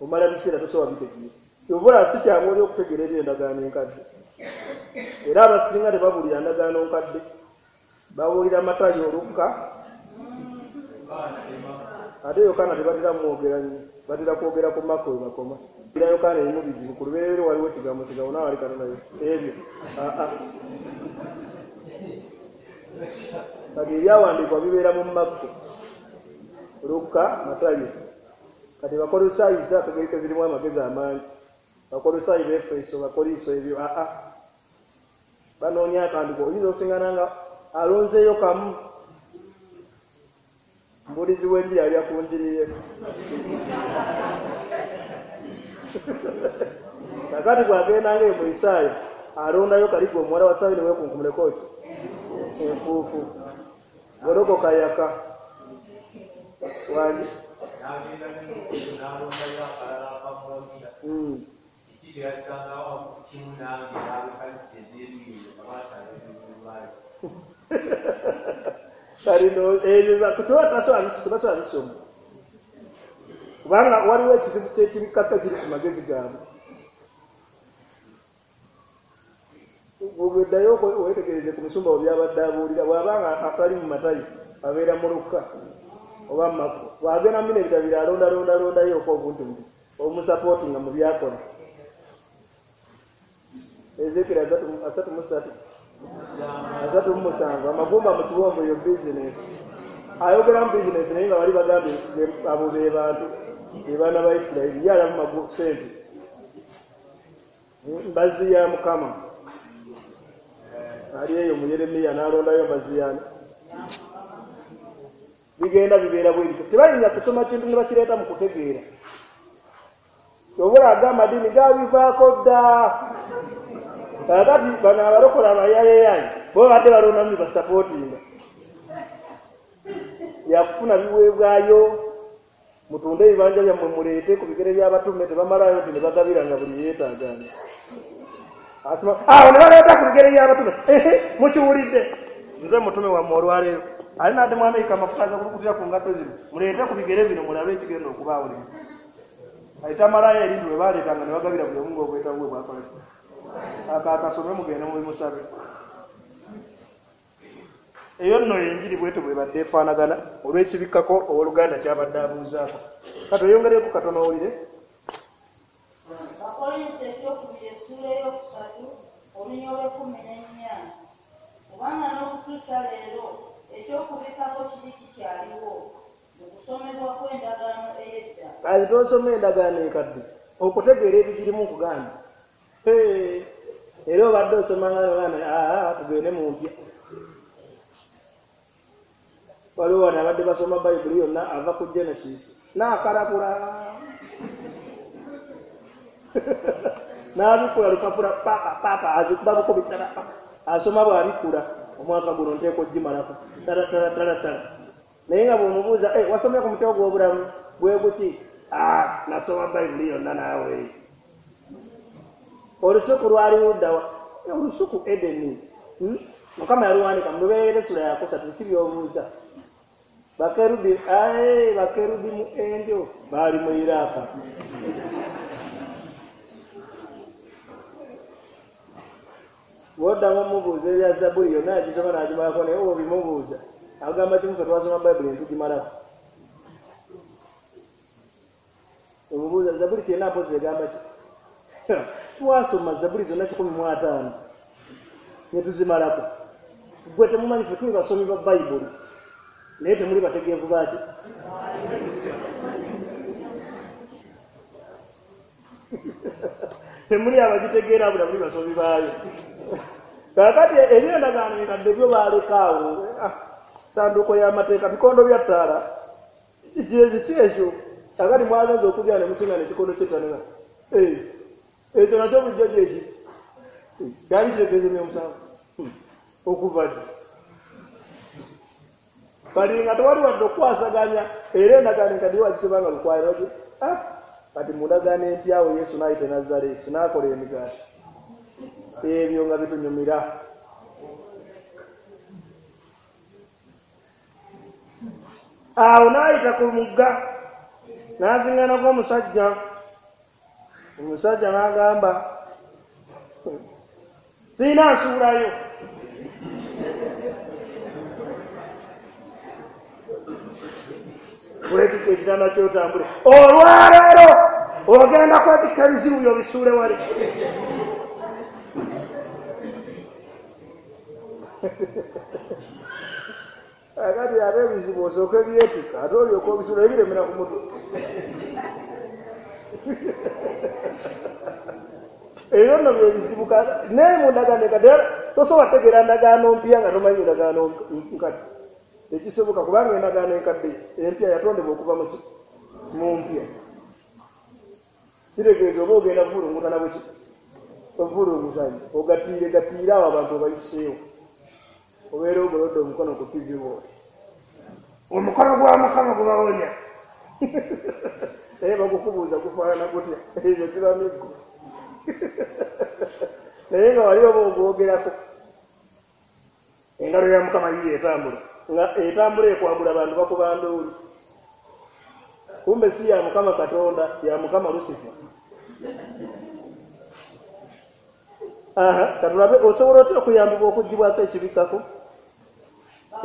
omala biseera tosobola bitegeera. Kyova olaba si kyangu oli okutegeera eby'endagaano enkadde. Era abasinga tebabuulira ndagaano nkadde, babuulira Matayo, Lukka, ate Yokaana tebatera mwogera nnyo. Batera kwogera ku Makko we bakoma. Era Yokaana erimu bizibu, ku lubereberye waliwo ekigambo, kigambo nawe ali Katonda ebyo. Kati ebyawandiikibwa bibeera mu Makko, Lukka, Matayo. Kati Bakolosaayi zo akagereke zirimu amagezi amangi. Bakolosaayi, Befeso, Bakoliso ebyo banoonya akandiko. Oyinza osingana nga alonzeeyo kamu. Mbulizi w'enjiri alya ku njiri ye. Kakati bw'agenda nga mu Isaaya alondayo kaligo omuwala wa Sayuni weekunkumuleko ki enfuufu golokoka yaka wangi n'agenda n'alondayo akalala akamuwagira kiki teyasangawo kimu nange n'abekalisa ez'ebiri nga baasanga ebizibu. Kati ebyo tebasobola bisoma kubanga waliwo ekizibu ky'ekibikata kiri ku magezi gaabwe. Bw'oddayo weetegereze ku musumba we byabadde abuulira, bw'abanga atali mu Matayo abeera mu Lukka oba mu Makko, bw'agenda mu bino ebitabo biri alondalondalondayo obuntu nti obumusapootinga mu byakola. Ezeekeri 33 37 amagumba mu kiwonvu eyo bizinesi. Ayogera mu bizinesi naye nga bali bagambye abo be bantu be baana ba Isirayiri, ye alaba ssente mbazzi ya Mukama. Ali eyo mu Yeremiya n'alondayo mbazzi yaani. Bigenda bibeera bwe bityo. Tebayinza kusoma kintu ne bakireeta mu kutegeera. Ky'oba agamba amadiini gabivaako dda. Kakati bano abalokola abayayeyaye bo babadde balondamu bye basapootinga. Yakufuna biweebwayo, mutunde ebibanja byammwe muleete ku bigere by'abatume, tebamalayo nti ne bagabira nga buli yeetaagaana. Awo ne baleeta ku bigere by'abatume, mukiwulidde nze mutume wammwe olwaleero ali nadde mu Amerika amafuta agakulukutira ku ngatto zino, muleete ku bigere bino mulabe ekigenda okubaawo leero. Kati tamalayo ebintu bwe baleetanga ne bagabira buli omu ng'obwetaavu bwe bwakola ki. Akasome mugende mubimusabe. Eyo nno enjiri bwetyo bwebadde efaanagana olw'ekibikkako owooluganda kyabadde abuuzaako. Kati oyongereko katono owulire. Bakkolinso ekyokubiri essuula ey'okusatu olunya olw'ekkumi n'ennya. Kubanga n'okutuusa leero ekyokubikkako kiri kikyaliwo mu kusomebwa kw'endagaano ey'edda. Kati tosoma endagaano enkadde okutegeera ebigirimu nkugambye. Era obadde osoma nga tugende mu mpya. Waliwo wano abadde basoma Bayibuli yonna ava ku Genesis n'akalabula n'abikula lupapula papa papa azikuba bukubi tala asoma bw'abikula omwaka guno nteeka ogimalako tala tala tala tala. Naye nga bw'omubuuza wasomye ku mutwe gw'obulamu bwe guki? Nasoma Bayibuli yonna naawe. Olusuku lwali luddawa? Olusuku Edeni. Mukama yaluwanika mu Lubereberye essula yakusatu ki by'obuuza? Bakerubi bakerubi mu endyo baali mu Iraaka. Bw'oddamu omubuuza ebya Zabbuli yonna yagisoma n'agimalako, naye bw'obimubuuza agamba kimu ffe twasoma Bayibuli ne tugimalako. Omubuuza Zabbuli kyenda mpozzi egamba ki? Twasoma Zabbuli zonna 150 ne tuzimalako. Ggwe temumanyi ffe tuli basomi ba Bayibuli naye temuli bategeevu baaki? Temuli abagitegeera bula muli basomi baayo. Kaakati eby'endagaano enkadde byo baaleka awo. Ssanduuko y'amateeka, bikondo bya ttaala, kiki ekyo? Kaakati mwagenze okulya ne musinga n'ekikondo ky'ettaala. Ekyo nakyo bulijjo gyeki? Kyali kitegeeza emyoyo musanvu okuva ddi? Kati nga tewali wadde okukwasaganya era endagaano enkadde yo wagisoma nga lukwaliro ki? Kati mu ndagaano empya awo Yesu n'ayita e Nazaaleesi n'akola emigaati. Ebyo nga bitunyumira. Awo n'ayita ku mugga n'aziŋŋanako omusajja. Omusajja n'agamba sirina nsuulayo. Weetikka ekitanda ky'otambule. Olwaleero ogenda kwetikka ebizibu by'obisuule wali. Akati ate ebizibu osooke byetikka ate olyoka obisuula ebiremera ku mutwe. Ebyo nno byebizibu naye mu ndagaano enkadde tosobola kutegeera ndagaano mpya nga tomanyi ndagaano nkadde. Tekisoboka kubanga endagaano enkadde empya yatondebwa okuva mu mpya. Kitegeeza oba ogenda kuvulungutana bweki ovulungutanyi ogattiire gattiire awo abantu obayiseewo. Obeera ogolodde omukono ku TV bw'oti. Omukono gwa Mukama gubawonya. Naye bagukubuuza gufaanana gutya? Ebyo kiba miggo. Naye nga wali oba ogwogerako. Engalo ya Mukama yiyo etambula. Nga etambula ekwagula abantu bakuba nduulu. Kumbe si ya Mukama Katonda, ya Mukama Lusifa. Katulabe osobola otya okuyambibwa okuggyibwako ekibikkako?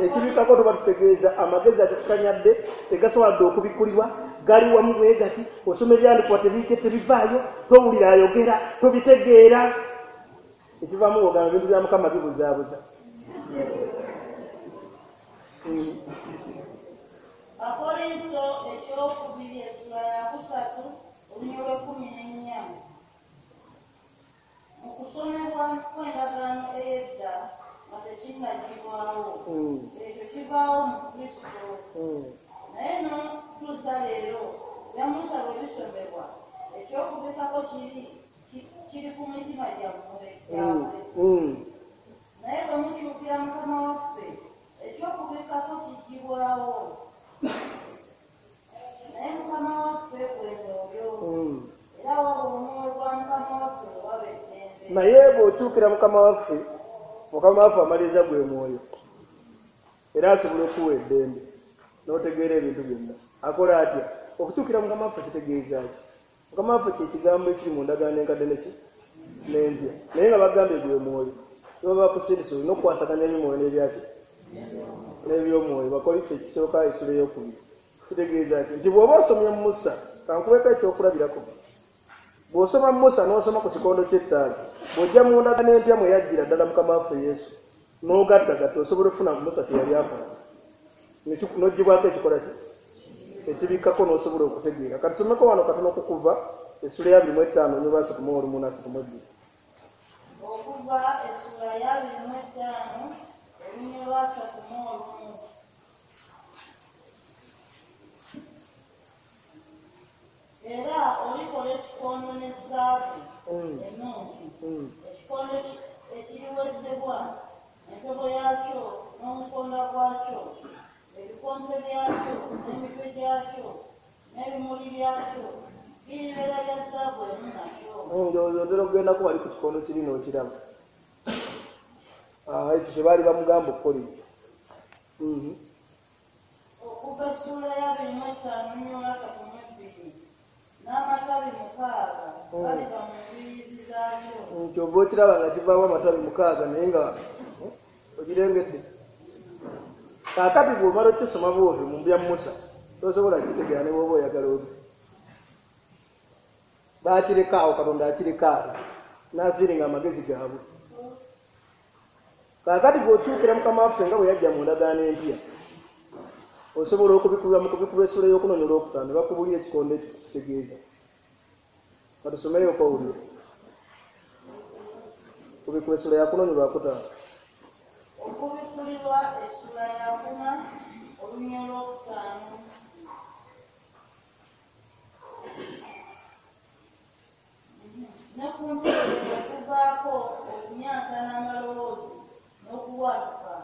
Ekibikkako tuba tutegeeza amagezi agakukanyadde tegasobola dde okubikkulibwa, gali wamu bwe gati, osoma ebyandikibwa tebivaayo, towulira ayogera, tobitegeera. Ekivaamu ng'ogamba ebintu bya Mukama bibuzaabuza. Abakolinso ekyokubiri essula ya 3 olunyiriri lw'e14. Mu kusomebwa kw'endagaano ey'edda nga tekinnaggyibwawo, ekyo kibaawo mu Kristo. Naye n'okutuusa leero ebya Musa bwe bisomebwa, ekyokubikkako kiri ku mitima gyammwe. Naye bwe mukyukira Mukama waffe, ekyokubikkako kiggyibwawo. Naye Mukama waffe gwe Mwoyo, era waba omwoyo gwa Mukama waffe waba eddembe. Naye bw'okyukira Mukama waffe, Mukama waffe amaliriza gwe mwoyo, era asobola okuwa eddembe n'otegeera ebintu byonna. Akola atya? Okukyukira Mukama waffe kitegeeza ki? Mukama waffe kye kigambo ekiri mu ndagaano enkadde neki n'empya, naye nga bagambye gwe mwoyo. Baba bakusindise olina okukwasaganya eby'omwoyo n'ebyaki n'eby'omwoyo. Bakolinso ekisooka essula ey'okubiri. Kitegeeza ki? Nti bw'oba osomye Musa, kankuweeko ekyokulabirako. Bw'osoma Musa n'osoma ku kikondo ky'ettaala, bw'ojja mu ndagaano empya mwe yajjira ddala Mukama waffe Yesu, n'ogattagatta osobola okufuna Musa kye yali akola. N'oggyibwako ekikola ki? Ekibikkako n'osobola okutegeera. Kati tusomeko wano katono ku Kuva essula ya 25 olunyiriri lwa 31 na 32. Okuva essula ya 25 olunyiriri lwa 31. Era olikola ekikondo ne zaabu ennungi, ekikondo ekiriwezebwa, entobo yaakyo n'omukonda gwakyo, ebikonto byakyo n'emitwe gyakyo n'ebimuli byakyo biribeera bya zaabu emu nakyo. Ndowooza otera okugendako wali ku kikondo kiri n'okiraba. Ekyo kye baali bamugamba okukola ekyo. Okuva essula ya 25 olunyiriri lwa 32 n'amatabi 6 galiva mu mbiriizi zaakyo. Ky'ova okiraba nga kivaamu amatabi 6 naye nga okirengedde. Kaakati bw'omala okukisoma bw'otyo mu bya Musa, tosobola kukitegeera ne bw'oba oyagala otya. Baakireka awo, Katonda akireka awo n'asiringa amagezi gaabwe. Kaakati bw'okyukira Mukama waffe nga bwe yajja mu ndagaano empya, osobola okubikkulirwa mu kubikkulwa essula ey'okunoonya olwokutaano ne bakubuulira ekikondo ekyo kitegeeza. Katusomeyo okowulire. Kubikkulwa essula ya 4 olwokutaano. Okubikkulirwa essula ya 4 olunyiriri lw'okutaano. Ne ku mpewo kwe kuvaako okumyansa n'amaloboozi n'okubwatuka,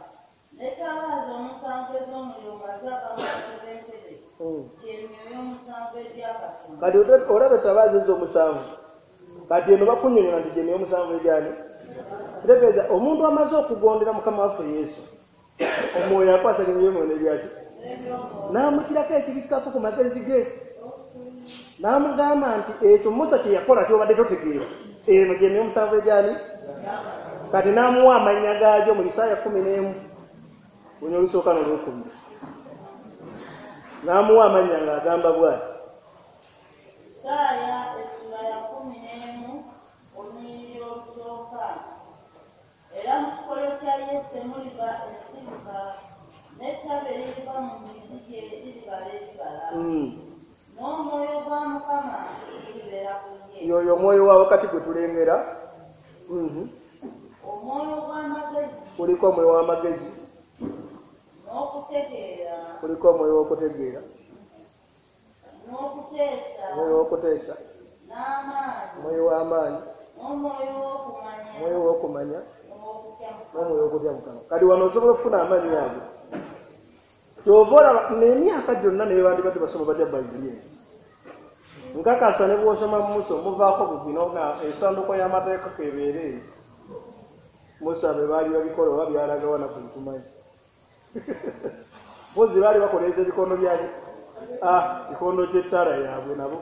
n'ettabaaza omusanvu ez'omuliro nga zaaka mu maaso g'entebe, gye myoyo omusanvu egya Katonda. Kati olaba ettabaaza ezo omusanvu, kati eno bakunnyonnyola nti gye myoyo omusanvu egyani? Kitegeeza omuntu amaze okugondera Mukama waffe Yesu, omwoyo akwasaganya eby'omwoyo n'ebyaki? N'amuggyirako ekibikkako ku magezi ge. N'amugamba nti ekyo Musa kye yakola ky'obadde totegeera, eno gye myoyo omusanvu egyani? Kati n'amuwa amannya gaagyo mu Isaaya 11 olunyiriri olusooka n'olwokubiri. N'amuwa amannya ng'agamba bw'ati. Isaaya essula ya 11 olunyiriri olusooka. Era mu kikolo kya Yese muliva ensibuka, n'ettabi eririva mu mizi gye liribala ebibala. N'omwoyo gwa Mukama gulibeera ku ye. Y'oyo omwoyo wa wakati gwe tulengera. Omwoyo gw'amagezi. Kuliko omwoyo w'amagezi. N'okutegeera. Kuliko omwoyo w'okutegeera. N'okuteesa. Omwoyo w'okuteesa. N'amaanyi. Omwoyo w'amaanyi. N'omwoyo w'okumanya. Omwoyo w'okumanya. N'omwoyo w'okutya Mukama. Kati wano osobola okufuna amaanyi ago. Ky'ova olaba n'emyaka gyonna ne bandibadde basoma batya Bayibuli eno. Nkakasa ne bw'osoma Musa omuvaako buzino nga essanduuko y'amateeka k'ebeera eyo. Musa bwe baali babikola oba byalagawa naffe tetumanyi. Mpozi baali bakoleeza ebikondo byaki? Kikondo ky'ettaala yaabwe nabo.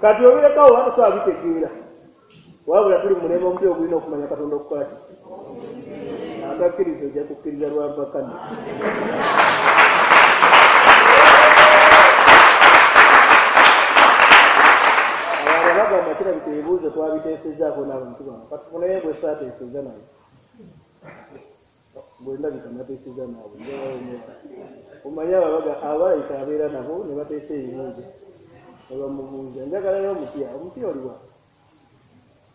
Kati obirekawo oba tosobola bitegeera. Wabula tuli mu mulembe omupya ogulina okumanya Katonda okukola ki? Atakkiriza ojja kukkiriza lwa mpaka. Bagamba kirabika ebibuuzo twabiteesezaako n'abantu bano. Katufuneyo bwe saateeseza naye. Bwe ndabika nateeseza naabwe. Omanyi abalayika abeera nabo ne bateesa ebibuuzo. Ne bamubuuza. Njagalayo omupya. Omupya oliwa?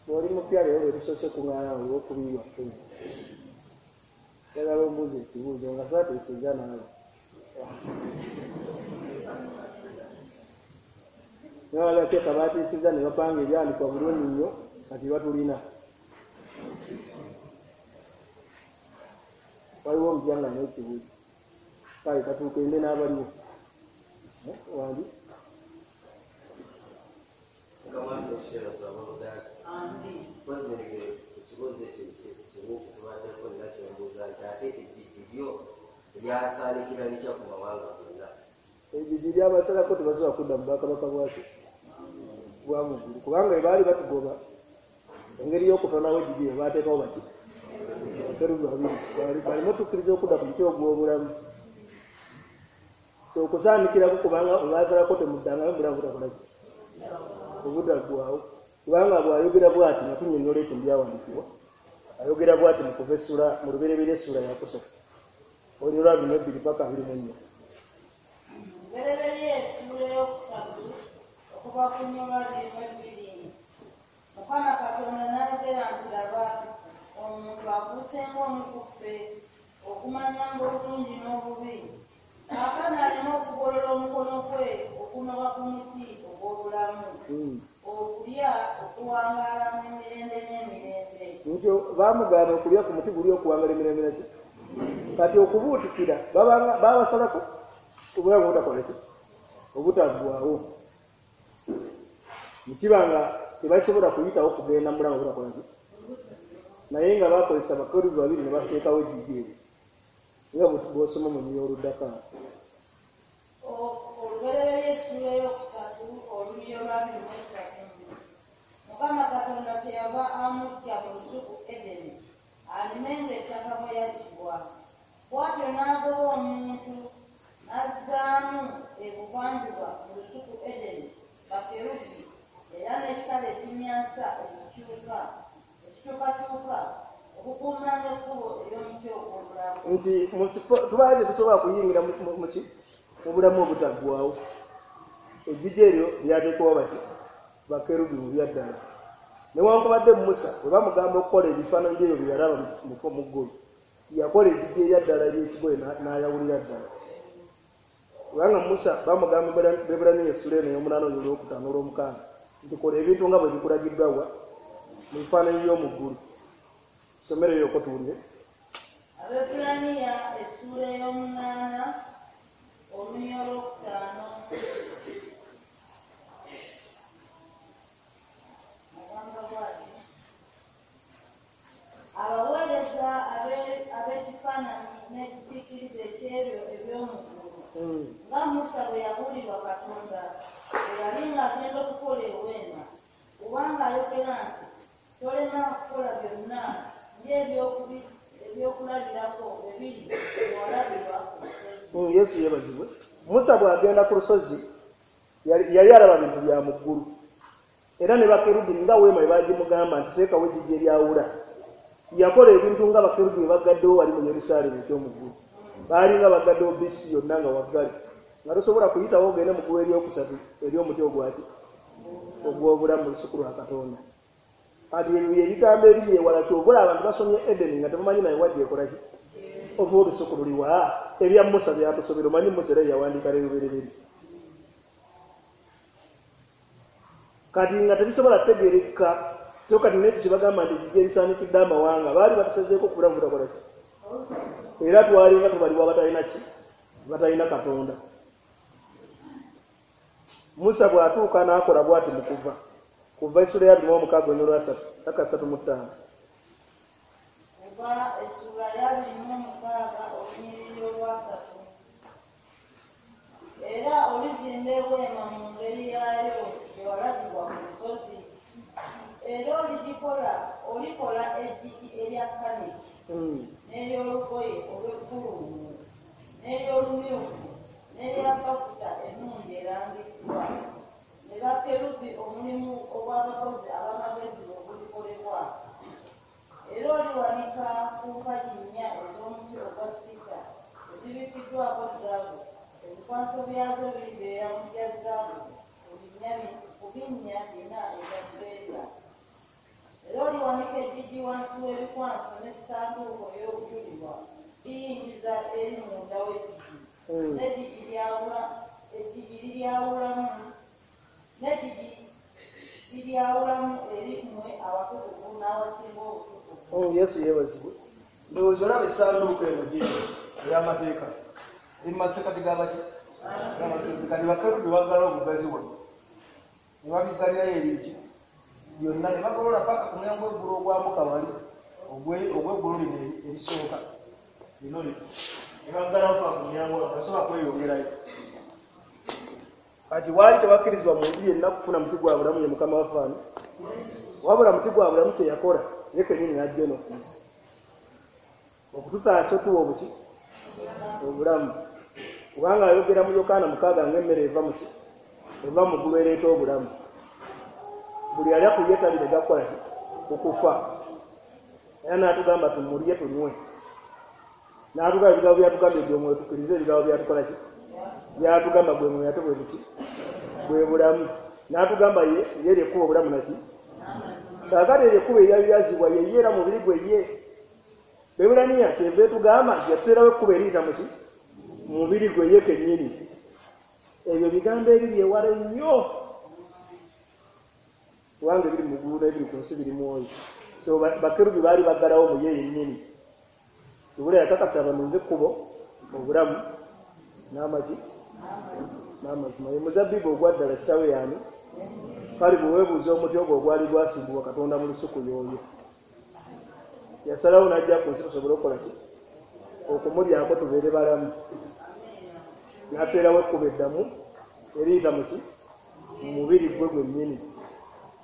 Oli mupya leero lwe tusoose kuŋŋaana olwokubiri lwaffe. Njagala ombuuze ekibuuzo nga saateeseza naawe. Nabateeka bateesezza ne bapanga ebyanikwa bulungi nnyo kati batulina. Waliwo omupya nga alina ekibuuzo. Kale katuukende n'abaliwo. Wandi? Ekibuuzo ekyo kimu kyetubaddeko nina kyembuuza nti ate ejjiji lyo lyasaanikira litya ku mawanga gonna? Ejjiji lyabasalako tebasobola kudda mu bwakabaka bwaki bwa mu ggulu kubanga bwe baali batugoba engeri y'okutonawo ejjiji lye baateekawo bati bakerubi babiri baleme tukkiriza okudda ku muti ogw'obulamu. So okusaanikirako kubanga bwe baasalako temuddangayo mubulamu butakola ki? Obutaggwaawo. Kubanga bw'ayogera bw'ati nga tunnyonnyola ekyo mu byawandiikibwa, ayogera bw'ati mu kuva essula mu Lubereberye essula yakusatu olunyiriri lwa 22 paka 24. Lubereberye essula ey'okusatu okuva ku lunyiriri lwa 22. Mukama Katonda n'ayogera nti laba omuntu afuuse ng'omu ku ffe okumanyanga obulungi n'obubi. Kaakano aleme okugolola omukono gwe okunoba ku muti ogw'obulamu. Okulya okuwangaala mu mirembe n'emirembe. Nti baamugaana okulya ku muti guli okuwangaala emirembe naki? Kati okubuutikira babasalako obulamu obutakola ki? Obutaggwaawo. Nekiba nga tebasobola kuyitawo kugenda mu bulamu obutakola ki? Naye nga bakozesa bakerubi babiri ne bateekawo ejjiji eryo. Nga bw'osoma mu lunyiriri oluddako awo. Olubereberye essula ey'okusatu olunyiriri lwa 23. Mukama Katonda kyeyava amuggya mu lusuku Edeni alimenga ettaka mwe yaggyibwa. Bw'atyo n'agoba omuntu n'azzaamu ebuvanjuba mu lusuku Edeni bakerubi era n'ekitala ekimyansa ekikyukakyuka okukuumanga ekkubo ery'omuti ogw'obulamu. Nti tubaala tetusobola kuyingira mu bulamu obutaggwaawo. Ejjiji eryo lyateekebwawo bati bakerubi mu byaddala. Newankubadde Musa bwe bamugamba okukola ebifaananyi by'ebyo bye yalaba mu ggulu, yakola ejjiji eryaddala ery'ekigoye n'ayawulira ddala. Kubanga Musa bamugamba Bebbulaniya essula eno ey'omunaana olwokutaano olw'omukaaga nti kola ebintu nga bwe bikulagiddwa wa mu bifaananyi by'omu ggulu. Somero eyo tuwulire. Abebbulaniya essula ey'omunaana olunyiriri olwokutaano. Agamba bw'ati: abaweereza ab'ekifaananyi n'ekisiikirize eky'ebyo eby'omu ggulu, nga Musa bwe yabuulirwa Katonda bwe yali ng'agenda okukola eweema, kubanga ayogera nti tolema kukola byonna ng'ebyokulabirako bwe biri bwe walabirwa ku lusozi. Yesu yeebazibwe. Musa bw'agenda ku lusozi yali alaba bintu bya mu ggulu, era ne bakerubi nga weema bwe bagimugamba nti teekawo ejjiji eryawula, yakola ebintu nga bakerubi bwe baggaddewo wali mu Yerusaalemi eky'omu ggulu. Baali nga baggaddewo bisi yonna nga waggale, nga tosobola kuyitawo ogende mu ggulu eryokusatu ery'omuti ogwaki ogw'obulamu mu lusuku lwa Katonda. Kati ebyo byebigambo ebiri ewala. Kyova abantu basomye Edeni nga tebamanyi naye wajja ekola ki, oba olusuku luliwa. Ebya Musa byatusobera. Omanyi Musa era yawandiika lerubereberye, kati nga tebisobola kutegeereka. So kati nekyo kyebagamba nti ejjiji erisaanikidde amawanga, baali batusazeeko ku bulamu butakola ki, era twalinga tubalibwa abatalina ki, batalina Katonda. Musa bw'atuuka n'akola bw'ati mu Kuva, Kuva essula ya 26 olwasatu paka 35. Kuva essula ya 26 olunyiriri olwasatu. Era olizimba eweema mu ngeri yaayo gye walagibwa ku lusozi. Era oligikola olikola eggigi erya kaniki n'ery'olugoye olw'eggulumu n'ery'olumyufu n'erya bafuta ennungi erangiddwa ne bakerubi, omulimu ogw'abakozi ab'amagezi bwe gulikolebwa. Era oliwanika ku mpagi nnya ez'omuti ogwa sita ezibikiddwako zaabu. Ebikwanso byazo biribeera mu bya zaabu ku binnya bina ebya ffeeza. Era oliwanika eggigi wansi w'ebikwanso, n'essanduuko ey'obujulirwa liyingiza eri munda w'eggigi, n'eggigi liryawulamu n'eggigi liryawulamu eri mmwe awatukuvu n'awasinga obutukuvu. Yesu yeebazibwe. Ndowooza olaba essanduuko eno giri ey'amateeka eri mu masekati g'abaki. Kati bakerubi baggalawo obugazi wano ne babiggalirayo ebingi byonna ne bagolola paka ku mulyango gw'eggulu ogwambuka wali ogw'eggulu lino erisooka lino lino, ne baggalawo paka ku mulyango, nga basobola kweyongerayo. Kati waali tewakkirizibwa muntu yenna kufuna muti gwa bulamu, ye Mukama waffe ani, wabula muti gwa bulamu kye yakola ye kennyini n'ajja eno ku nsi okututaasa, otuwa obuki obulamu, kubanga ayogera mu Yokaana 6 ng'emmere eva muki, eva mu ggulu ereeta obulamu, buli alya ku ye talirega kukola ki, okufa. Era n'atugamba tumulye tunywe, n'atugamba ebigambo byatugamba ebyomwoyo, tukkirize ebigambo byatukola ki, byatugamba gwe mwoyo ate bwe buki, bwe bulamu. N'atugamba ye ye lyekkuba obulamu naki. Kaakati eryo ekkubo eryayazibwa ye ye era mubiri gwe ye. Bebulaniya kyeva etugamba nti yatuteerawo ekkubo eriyita muki, mubiri gwe ye kennyini. Ebyo bigambo ebiri ewala ennyo, kubanga ebiri mu ggulu n'ebiri ku nsi biri mwoyo. So bakerubi baali baggalawo mu ye yennyini. Ibula yakakasa banunze ekkubo, obulamu n'amagi n'amazima. Ye muzabbibu ogwaddala, kitawe yaani? Kale bwe weebuuza omuti ogwo ogwali gwasimbibwa Katonda mu lusuku, y'oyo yasalawo n'ajja ku nsi tusobole okukola ki, okumulyako tubeere balamu. N'ateerawo ekkubo eddamu eriyita muki, mu mubiri gwe gwennyini,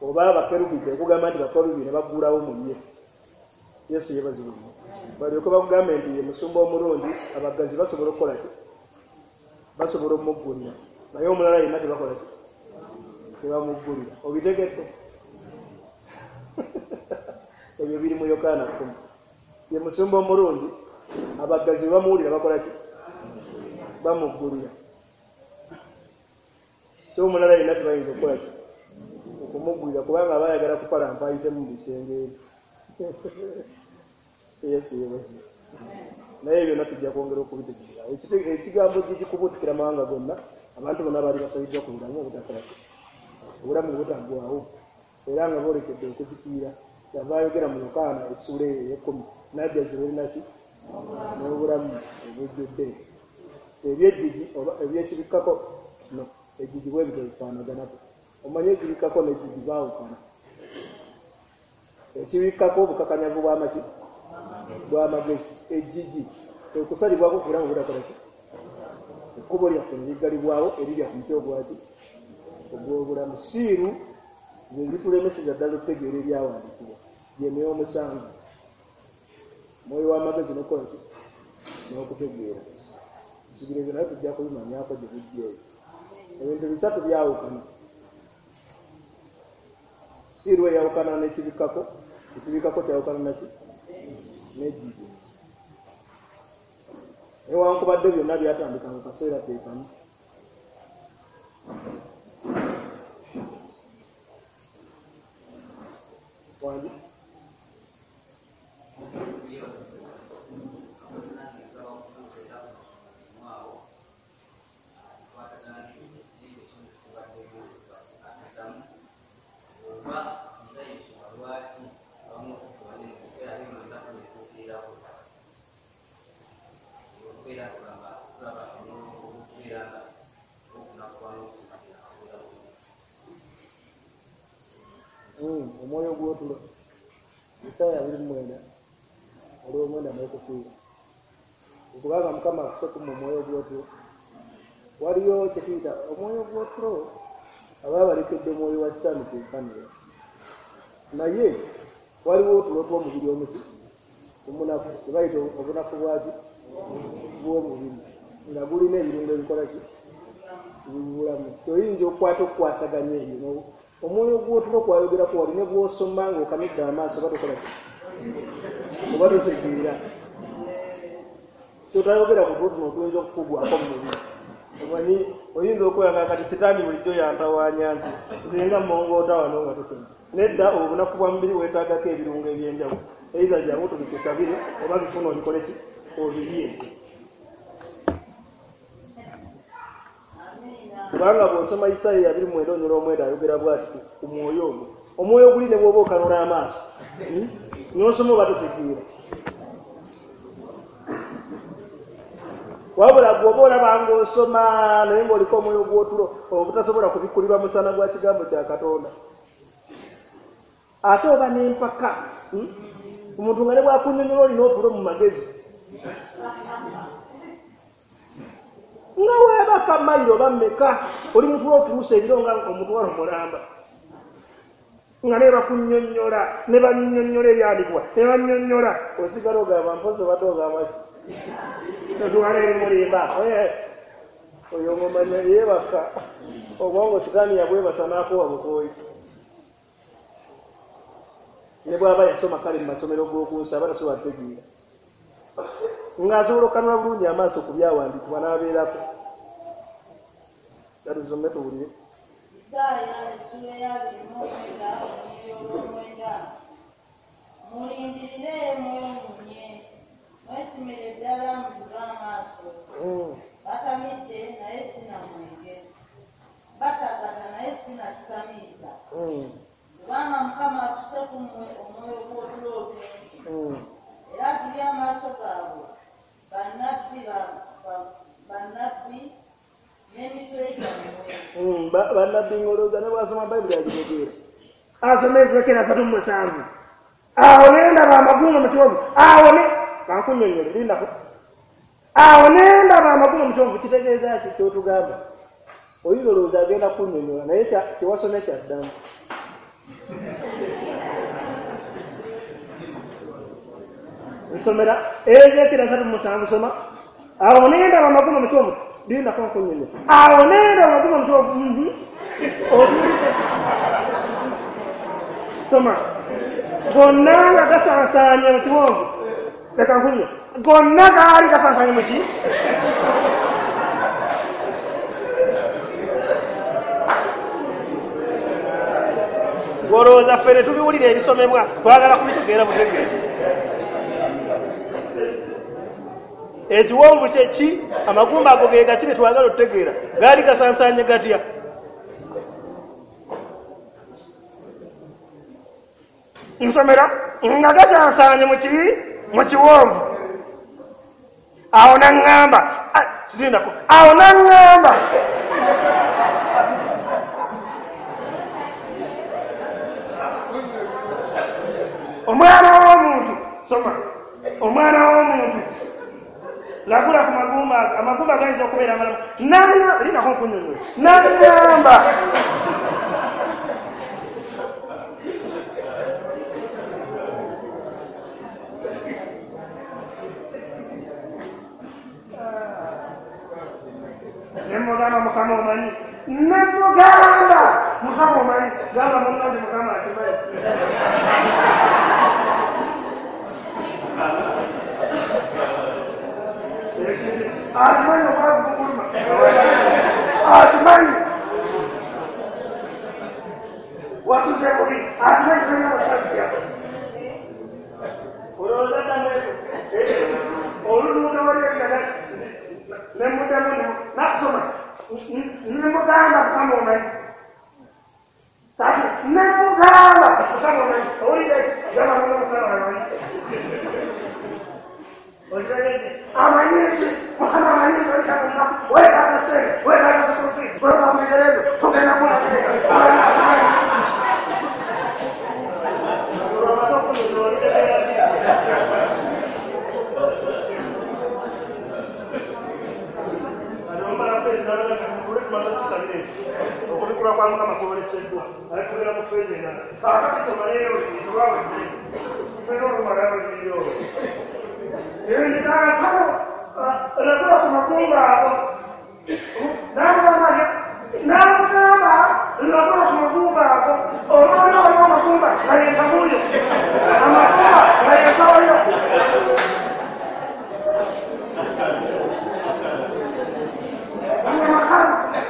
oba abakerubi ekugamba nti bakerubi ne baggulawo mu ye. Yesu yeebazibwe nnyo. Balyoke bakugambe nti ye musumba omulungi, abaggazi basobola okukola ki, basobola omuggulira, naye omulala yenna tebakola ki, tebamuggulira. Obitegedde? Ebyo biri mu Yokaana 10. Ye musumba omulungi, abaggazi bwe bamuwulira bakola ki, bamuggulira. So omulala yenna tebayinza okukola ki, okumuggulira, kubanga aba ayagala kupalampa ayitemu mu bisenge ebyo. Yesu yeebazibwe. Naye byonna tujja kwongera okubitegeera. Ekigambo gikikubuutikira mawanga gonna, abantu bonna baali basaliddwa ku bulamu obutakola ki, obulamu obutaggwawo, era nga boolekedde okuzikirira. Yava ayogera mu Yokaana essuula eyo ey'ekkumi najja zibeerinaki n'obulamu obujjudde. Ebyejjigi oba ebyekibikkako no ejjigi bwe bityo bifaanaganako. Omanye ekibikkako n'ejjigi baawukana. Ekibikkako obukakanyavu bw'amaki, bw'amagezi. Ejjigi ekusalibwako ku bulamu obutakola ki, ekkubo lyaffe ne liggalibwawo erirya ku muti ogwaki, ogw'obulamu. Siiru ze zitulemeseza ddala okutegeera ebyawandiikibwa, gyemyoyo omusanvu, mwoyo w'amagezi n'okukola ki, n'okutegeera. Nsubira ebyo naye tujja kubimanyako gye bujja eyo. Ebintu bisatu byawukana. Siiru eyawukana n'ekibikkako, ekibikkako kyawukana naki? N'ejjiji. Newankubadde byonna byatandika mu kaseera ke kamu. Wangi? Omwoyo gw'otulo Isaaya 29 olw'omwenda n'okufiira. Okubanga Mukama akuse ku omwoyo gw'otulo, waliyo kye tuyita omwoyo gw'otulo, aba balekedde omwoyo wa sitaani kyenkanira. Naye waliwo otulo tw'omubiri omuki omunafu, kye bayita obunafu bwaki bw'omubiri, nga gulina ebirungo ebikola ki bibulamu. Oyinza okukwata okukwasaganya ebyo. Omwoyo gw'otulo kwayogerako wali ne bw'osoma ng'okanudde amaaso oba tokola ki oba totegeera. Totayogera ku tulo tuno otuyinza okukugwako mu mubiri. Omanyi oyinza okweyanga kati sitaani bulijjo yantawaanya nti nze nga mmongoota wano nga tosoma. Nedda, obunafu bwa mubiri weetaagako ebirungo eby'enjawulo. Eiza jangu tubikusabire oba bifuna obikole ki obirye. Kubanga bw'osoma Isaaya 29 ayogera bw'ati ku mwoyo ogwo. Omwoyo guli ne bw'oba okanula amaaso n'osoma oba totegeera. Wabula bw'oba olaba ng'osoma naye ng'oliko omwoyo gw'otulo obutasobola kubikkulirwa musana gwa kigambo kya Katonda. Ate oba n'empaka, omuntu nga ne bw'akunnyonnyola olina otulo mu magezi. Nga weebaka mayiro oba mmeka, oli mutulo otuuse ebiro nga omutwalo mulamba. Nga ne bakunnyonnyola, ne bannyonnyola ebyandikibwa, ne bannyonnyola, osigala ogamba mpozi obadde ogamba ki? Totwala eri mulimba. Oyo ng'omanya yeebaka, obwongo sitaani yabwebasa n'akuwa bukooyi. Ne bw'aba yasoma kale mu masomero g'oku nsi aba tasobola kutegeera. Ng'asobola okukanula bulungi amaaso ku byawandiikibwa n'abeerako. Tusome tuwulire. Isaaya 29 Mulindirire mwewuunye, mwesimire ddala muzibe amaaso. Batamidde naye si na mwenge, batagata naye si na kitamiiza. Kubanga Mukama afuse ku mmwe omwoyo gw'otulo otungi. Era azibye amaaso gaabwe bannabbi n'emitwe gyammwe. Bannabbi ng'olowooza ne bw'asoma Bayibuli agitegeera. Asoma Ezeekyeri 37. Awo ne ndaba amagumba mu kiwonvu. Awo ne kankunnyonnyole lindako. Awo ne ndaba amagumba mu kiwonvu kitegeeza ki ky'otugamba? Oyinza olowooza agenda kunnyonnyola naye kyewasomye kyaddamu. Nsomera Ezeekyeri 37 soma. Awo ne ndaba amagumba mu kiwonvu. Lindako nkunnyonnyola. Awo ne ndaba amagumba mu kiwonvu. Otuulidde. Soma. Gonna nga gasansaanye mu kiwonvu. Leka nkunywe. Gonna gaali gasansaanye mu ki? Olowooza ffe ne tubiwulira ebisomebwa twagala kubitegeera butegeezi. Ekiwonvu kye ki? Amagumba ago ge gaki bye twagala okutegeera? Gaali gasansaanye gatya? Nsomera nga gasansaanye mu ki? Mu kiwonvu. Awo n'aŋŋamba, kirindako. Awo n'aŋŋamba omwana w'omuntu, soma, omwana w'omuntu lagula ku magumba, amagumba gayinza okubeera amalamu. Lindako nkunnyonnyola. N'aŋŋamba Ne mugamba Mukama omanyi. Ne mugamba Mukama omanyi. Gamba munnange Mukama akimanyi. Akimanyi obwavu bukuluma. Akimanyi. Wasuze bubi. Akimanyi tolina basajja. Olowooza ddamu ekyo. Oluluuka wali ebirala ne muddamu nakusoma. Ne mugamba Mukama omanyi. Kati ne mugamba Mukama omanyi. Owulira ekyo? Gamba munno Mukama amanyi. Okitegedde? Amanyi ki? Mukama amanyi nti oyita ku lunaku, weetaaga ssente, weetaaga school fees, weetaaga ku bigere byo, tugenda kulateeka. Amanyi. Olwamaze okunyonyola olitegeera ddi? Okubikula kwa Mukama kwoleseddwa ate mu feeza endala. Kaakati soma leero tulwawedde tulina olumalayo olubiri olwo. Kaakano lagula ku magumba ago. N'amugamba lagula ku magumba ago. Omwana waliwo amagumba nga ye ntamu yo. Amagumba nga ye nsawo yo.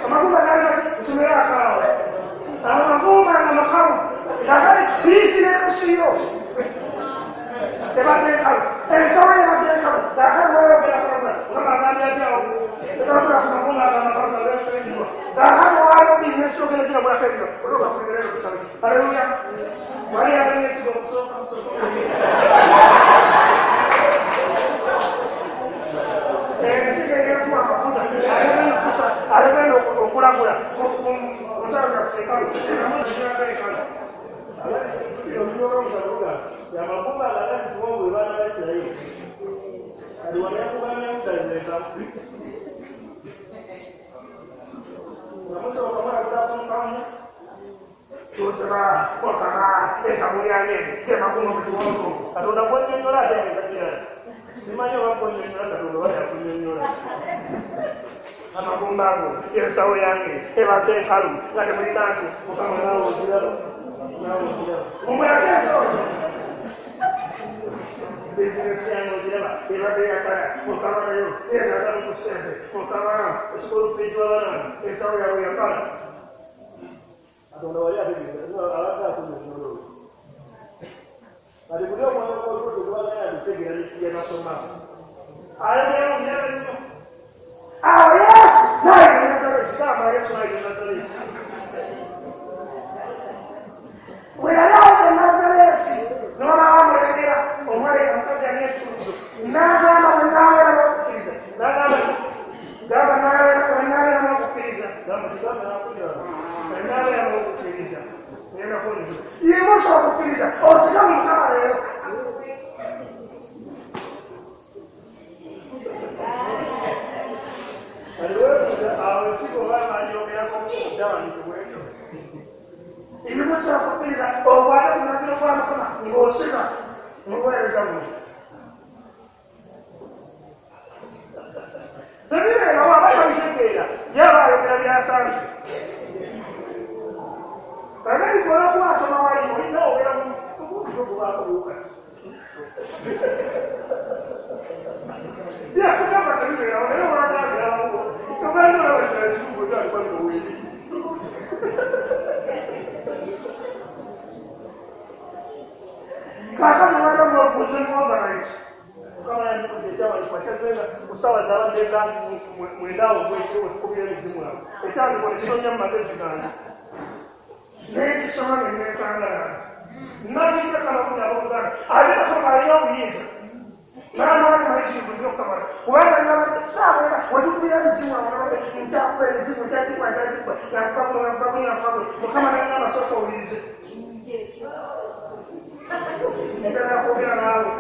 Amagumba gali nsomera akaawo. Amagumba nga makalu. Kakati bizinensi yo ebadde enkalu. Ensawo yo ebadde enkalu. Kakati wayogera kulagula. Mukama agambye atya awo? Lagula ku magumba ago amakalu gabeekiwa. Kakati waliwo bizinensi yo ogenda giragulako ebiro. Olwoka ku bigere byo. Haleluya. Wali agenda ekigo okusooka musooka. Ensigo egenda kuwa amafuta. Agenda okusa. Agenda okulagula. Omusawo gaffe enkalu. Enkalu. Amagumba agagati kiwongo baana ba Isirayiri. Kati wano yakugambye mutazeka. Nga musooka mulagula ku nkamu. Tusaba Mukama entamu yange emagumba mu kiwongo. Katonda gwennyonnyola ate ngeza kirala. Simanyi oba gwennyonnyola Katonda oba yakunnyonnyola. Amagumba ago ensawo yange ebadde enkalu nga temuli kantu. Mukama naawe ogiraba. Naawe ogiraba. Mumulage ensawo. Bizinensi yange ogiraba ebadde yakala. Mukama nayo eyagala ku ssente. Mukama School fees w'abaana. Ensawo yaabwe yakala. Katonda wali ategeeza abadde akunnyonnyola olwo. Kati buli omwoyo gw'olugendo gubaganya abitegeera bye basoma. Ayogera mu myaka gino. Awo Yesu n'ayita e Nazareti. Gamba Yesu n'ayita e Nazareti. Bwe yali ayita e Nazareti n'olaba amulengera omwali omukazi alina ekikuluzo. N'agamba bwe naabeera n'okukkiriza. N'agamba gamba bwe naabeera n'okukkiriza. Gamba kigamba n'akunyala. Bwe naabeera n'okukkiriza. Ngenda kuwuliriza. Yimusa okukkiriza osige mu Mukama leero. Kati weebuuza awo ensigo oba bagyogerako kuddawandiikibwa ekyo. Yimusa okukkiriza okwate ku mulagiro gwa Mukama ng'osiga mu buweereza buno. Tebibeerawo aba tabitegeera yaba ayogera byasanze. Kakati olwokuba asoma wali olina obeera mu gubaako buwuka. Yakugamba tebibeerawo naye olwagambirawo. Ogenda olaba ekizungu kyalikuwa bino weeri. Kaakati waliwo n'obuuzi bw'ovalayiti. Mukama yandikudde ekyawandiikibwa kyazzenga ku ssaawa z'abadde nga mwenda awo ogw'ekiro we tukubira emizimu awo. Ekyawandiikibwa ne kitonnya mu magezi gange. Naye kisoma ne neekangala. N'akireka amakumi abooluganda. Ate Katonda alina obuyinza. N'amaanyi mayitirivu nnyo okukamala. Kubanga nabadde ssaawa ena we tukubira emizimu awo nabadde nkyakuba emizimu nkyagikuba nkyagikuba nga nkubagula nga nkubagula nga nkubagula. Mukama n'angamba sooka owulirize. Njagala kwogera naawe.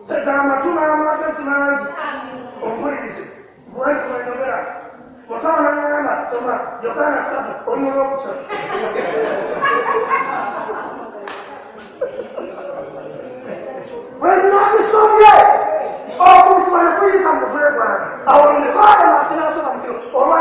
Tegamba tuna amagezi mangi. Ompulirize. Bwenti bwe njogera. Mukama n'angamba soma Yokaana 3 olw'okusatu. Bwe nnaakisomye okubikula ne kuyita mu mutwe gwange. Awo ndikola wansi n'asoma mu kiro olwa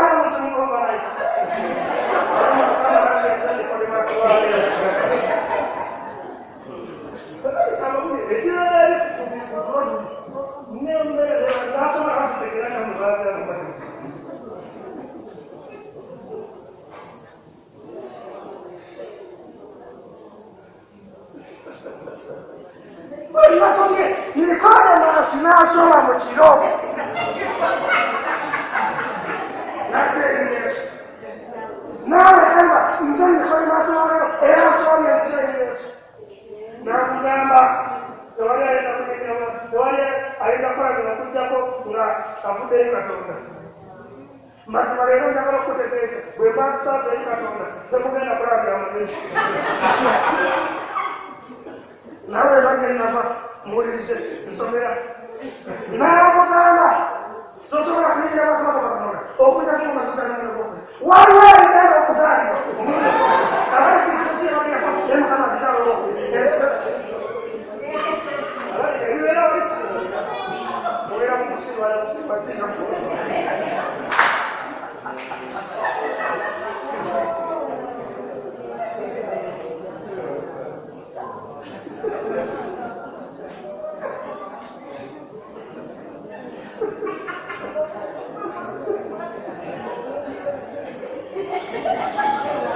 Ebibasomye Nikodemasi n'asoma mu kiro n'adda eri Yesu n'abagamba nze Nikodemasi waleero era nsomye nzija eri Yesu n'amugamba tewali ayinza kuyingira tewali ayinza kukola okuggyako nga avudde eri Katonda. Mazima leero njagala okutegeeza bwe mba nsaava eri Katonda temugenda kulaba bya mubiri. Nawe bagenda muwulirize nsomera n'amugamba tosobola kuyingira bwakabaka bwa Katonda okuggyako nga mazima waliwo ebigenda okuzaalibwa abali bizinesi ebagenda naye Mukama abizaala olwokubiri ebibeera obeera mu kusirwala kusirwa singa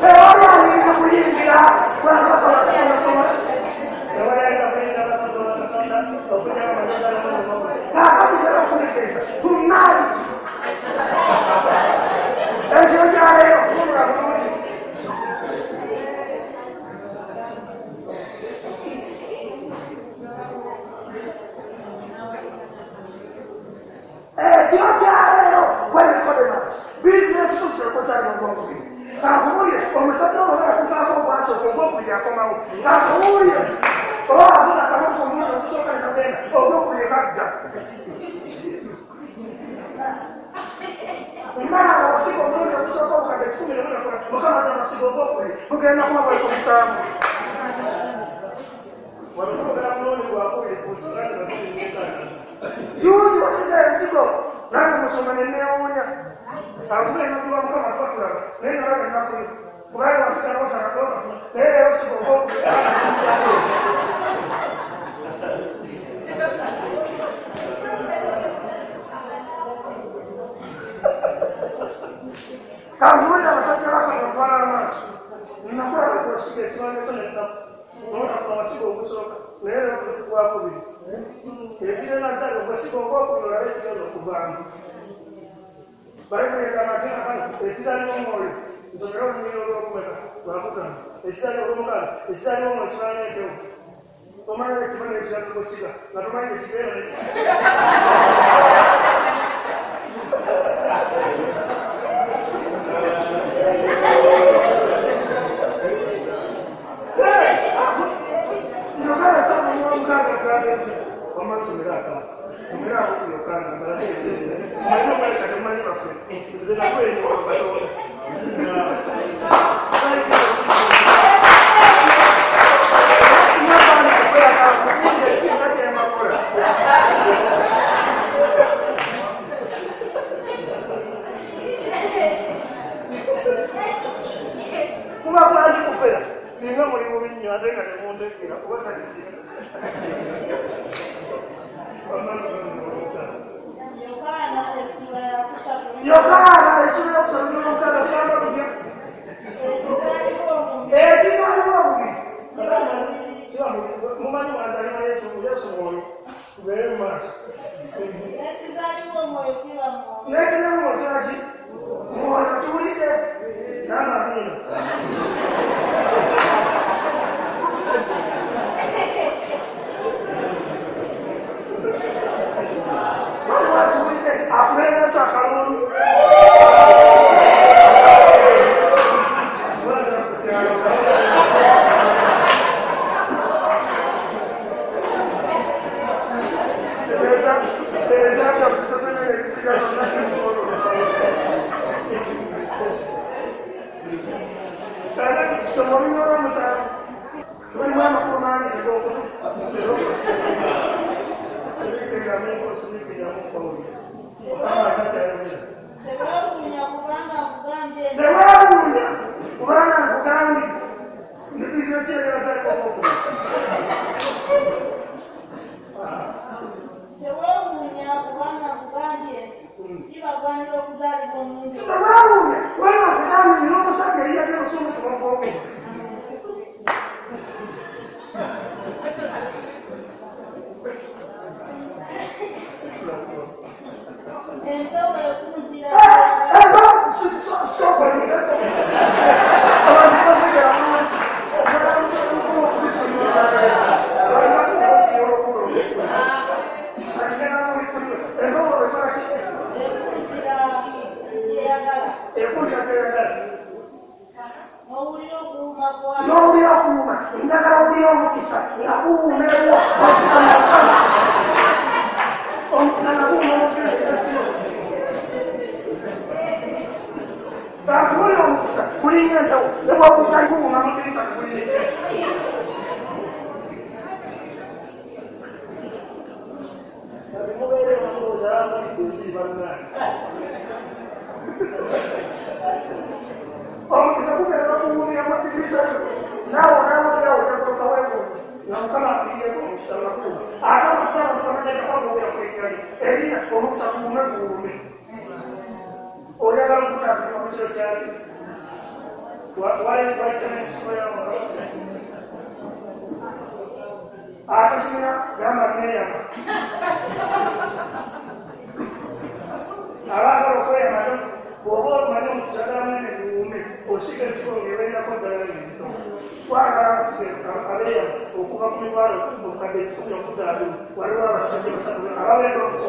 tewali ayinza kuyingira bwakabaka bwa Katonda tewali ayinza kuyingira bwakabaka bwa Katonda okuggyako kaakati njagala okutegeeza tonight ekiro kya leero kuwulira bulungi ekiro kya leero gwe Nikodemasi bizinesi tuzekozalibwa ogwokubiri akuwulire omusajja oba yakuvaako ogwasooka ogwokubiri akomawo akuwulire oba avuna akamofu omulundi ogusooka ne kagenda ogwokubiri kadda naaba wasiga omulundi ogusooka obukadde 14 Mukama agamba siga ogwokubiri gugenda kuba bwaliko musanvu wano mulundi gwakubiri ku nsonga juzi wasiga ensigo nange musoma ne neewuunya akuba ennaku lwa Mukama tuba tulaba naye nalaba ennaku yo kubanga wasiga n'otakatokafuna naye leero siga ogwokubiri kankuwulira abasajja bakabatwala amaaso nakulaba kwesiga ekimanyeko nennaku n'otakula wasiga ogusooka naye leero gwakubiri ekiro nazaali ogwesiga ogwokubiri olabe ekigenda okuvaamu Bayibuli egamba nti nakano ekizaalibwa omwoyo nsomera olunyiriri olw'okumeka lwakutaano ekizaalibwa olw'omukaaga ekizaalibwa omwoyo kibaana empewo tomanyi ekimanyi ekirala gwesiga nga tomanyi ekibeera Yokaana saba omukaaga agambye nti wamma nsomera akamu nsomera ako ku Yokaana mbalage manyi omaleka temumanyi baffe nze nakwenyuka Katonda kuba kwangi kufera singa muli bubi nnyo ate nga temuntegeera kuba takisira Yokaana essula yokusatu n'omukaaga tugamba tutya ekizaalibwa omubiri mumanyi mwazaalibwa Yesu Yesu mwoyo tubeere mu maaso N'ekizaalibwa omwoyo kiba mwoyo. n'ekizaalibwa omwoyo kiba ki mwoyo tuwulidde n'amamiina waliwo akiwulidde akubere Yesu akalulu Teweewuunya kubanga nkugambye nti Teweewuunya kubanga nkugambye ndi bizinesi ey'abazaalibwa ogwokubiri teweewuunya kubanga nkugambye nti kibagwanira okuzaalibwa omulundi Teweewuunya kubanga nkugambye nti n'omusajja eyiyagala okusomesebwa ogwokubiri Ekuulira ky'oyagala. N'owulira okuwuuma. Njagala owulira omukisa nga guwuumeewo. Omukisa nga guwuuma omukisa. Bakuwulira omukisa gulinga ensawo ne bw'okuuka guwuuma mu ddirisa guwulira. Omukisa gugenda okuwuumira mu ddirisa lyo naawe onaawulira ojakutuuka weewuunye nga Mukama akuyiyeeko omukisa nga guwuuma. Ate omukisa nga Mukama tateeka kuwuumira ku erinnya lye erinnya omukisa guwuume guwuume. Oyagala okutandika mu kiro kyali wayisa n'ensigo y'amalo akakirina gamba neeyama abaagala okweyama bw'oba omanyi omukisa gala munene guwuume osiga ensigo ng'ebeerako ddala enzito. Twagala abasiga abeeyama okuva ku mitwalo obukadde 10 okudda 20 waliwo abasajja basatu ababeera omukisa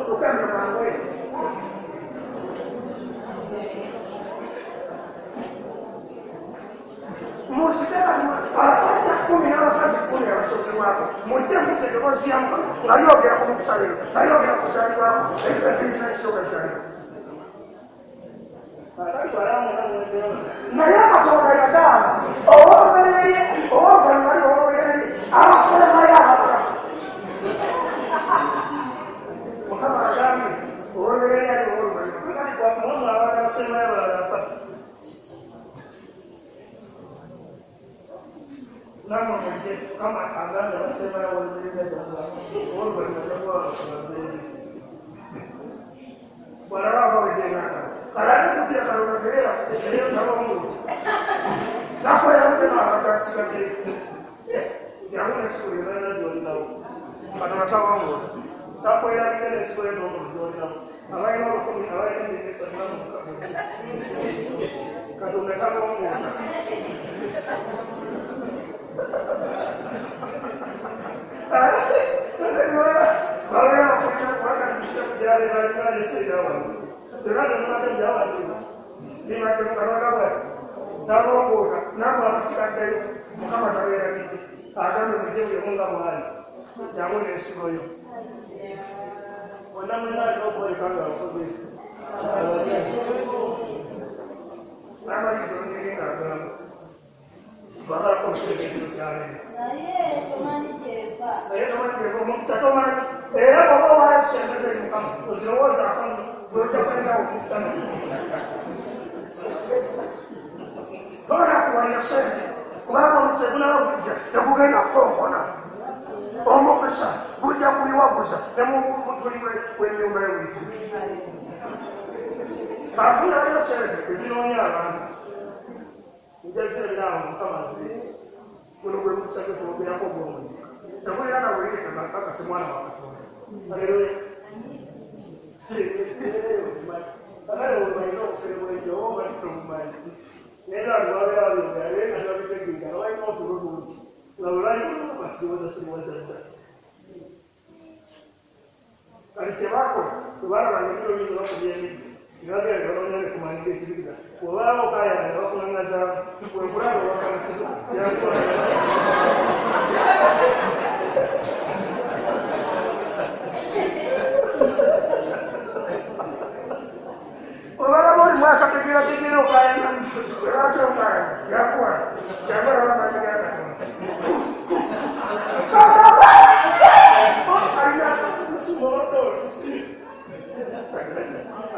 okugenda mangu. Musike abasajja 10 n'abakazi 10 abasokerwako mujje mudde eddoboozi lya Mukama nga lyogera ku mukisa leero nga lyogera ku kuzaalibwako ebizinesi yo gazaalibwa. Naye Katonda yagaana ow'olubereberye ow'oluvannyuma lye ow'olubereberye abasembayo abalala. Mukama agambye ow'olubereberye ali ow'oluvannyuma kati mwamu abalala abasembayo abalala basatu. Namwe mujje Mukama agambye abasembayo ow'olubereberye ow'oluvannyuma ow'olubereberye. Bw'alaba abawedde engalo kale ate kalonda teera eyo tabawungula nakweyawudde n'abantu asigadde jangu n'ensigo yonna gy'olinawo. Katonda tabawungula takwerabidde n'ensigo yo n'omuntu gy'olinawo. Abalina 1000 abalina 300 namwe Katonda tabawungula. Mukama tabeerabidde agambe mujje buli omu nga bw'ali jangu n'ensigo yo. Bonna mwenna alina okwoleka nga abakozi n'amaliza olunyiriri ng'agamba twagalako omuteeka ekiro kya leero. Naye tomanyi gy'eva. Naye tomanyi gy'eva omukisa tomanyi era bw'oba owaayo ssente z'eri Mukama ozirowoozaako nno gw'ojja kwenda omukisa nno. Tonakuwalira ssente kubanga omukisa gunaba gujja tegugenda kukonkona. Omukisa gujja kuyiwaguza ne mu mutuli w'ennyumba y'ewuitu. Kaakuna waliwo ssente ezinoonya abantu nja zirabira awo Mukama azireese. Guno gwe mukisa gwe twogerako ogw'omuyiika. Tegulina na buyinike kakase mwana wa Katonda. Aleluya. Kakale bw'omalina obufere bw'ekyo oba omanyi tobumanyi. Naye nga abantu babeera babyogera naye nga tebabitegeera nga balina otulo tungi nga bwe bali basiiwaza siwaza dda. Kati kye baakola tebalabanga ebiro bingi bakubya emiggo ne bagenda ne banoonya ne ku maanyi g'ekizikiza. Bw'obalaba okaayana ne bakuŋŋaŋŋazaamu bwe nkulaba owakanisiza yankuba. Obalaba oli mwakategeerategeera okaayana lwaki okaayana yakuwa yabalaba amaanyi ga Katonda.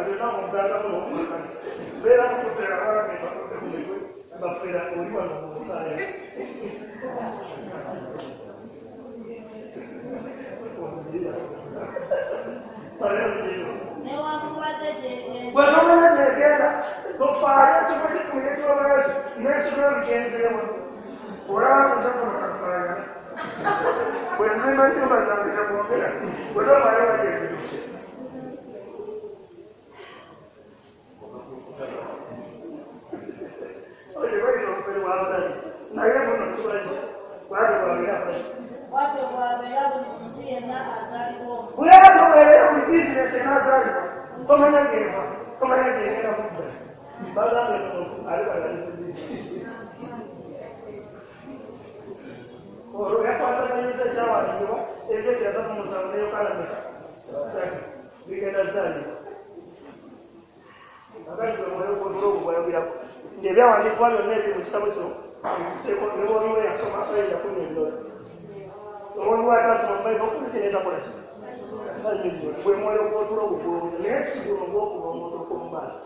Alina Newankubadde gy'egenda. Bwe gyegenda tofaayo ekifo kikumi ekyobayo n'ensigo bigenzeewo olaba kuzakono kafaaya bwe nzimba ennyumba zange temwogera bwe tofaayo bagyegeduse. Oyo bayita obufere bw'abatali naye buno tubazi bwatyo bwabeera Bwatyo bw'abeera buli muntu yenna azaalibwa omu. Bwatyo bwabeera buli bizinesi enaazaalibwa tomanya gy'eva tomanya gy'egenda kudda. Bagambye omuntu alibalaliza olwo yakwasaganyiza ekyawandiikibwa Ezekiel 37 ne Yokaana 3 bigenda zaalibwa. Akati gwe mwoyo gw'otulo ogwo gwayogerako nti ebyawandiikibwa byonna ebiri mu kitabo kino ebiseeko ne bw'oliwo yasoma ayinza kunnyonnyola. Omwoyo atasoma Bayibuli okubiki n'etakola ki? Annyonnyola. Gwe mwoyo gw'otulo ogwo gw'owulira naye si guno gw'okuba omuntu okw'omu maaso.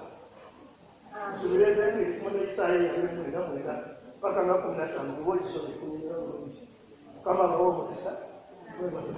Nsuubira enviiri n'ekisaayi 29 paka nga 15 bw'oba ogisomye kunnyonnyola bulungi. Mukama abawe omukisa. Mwebale.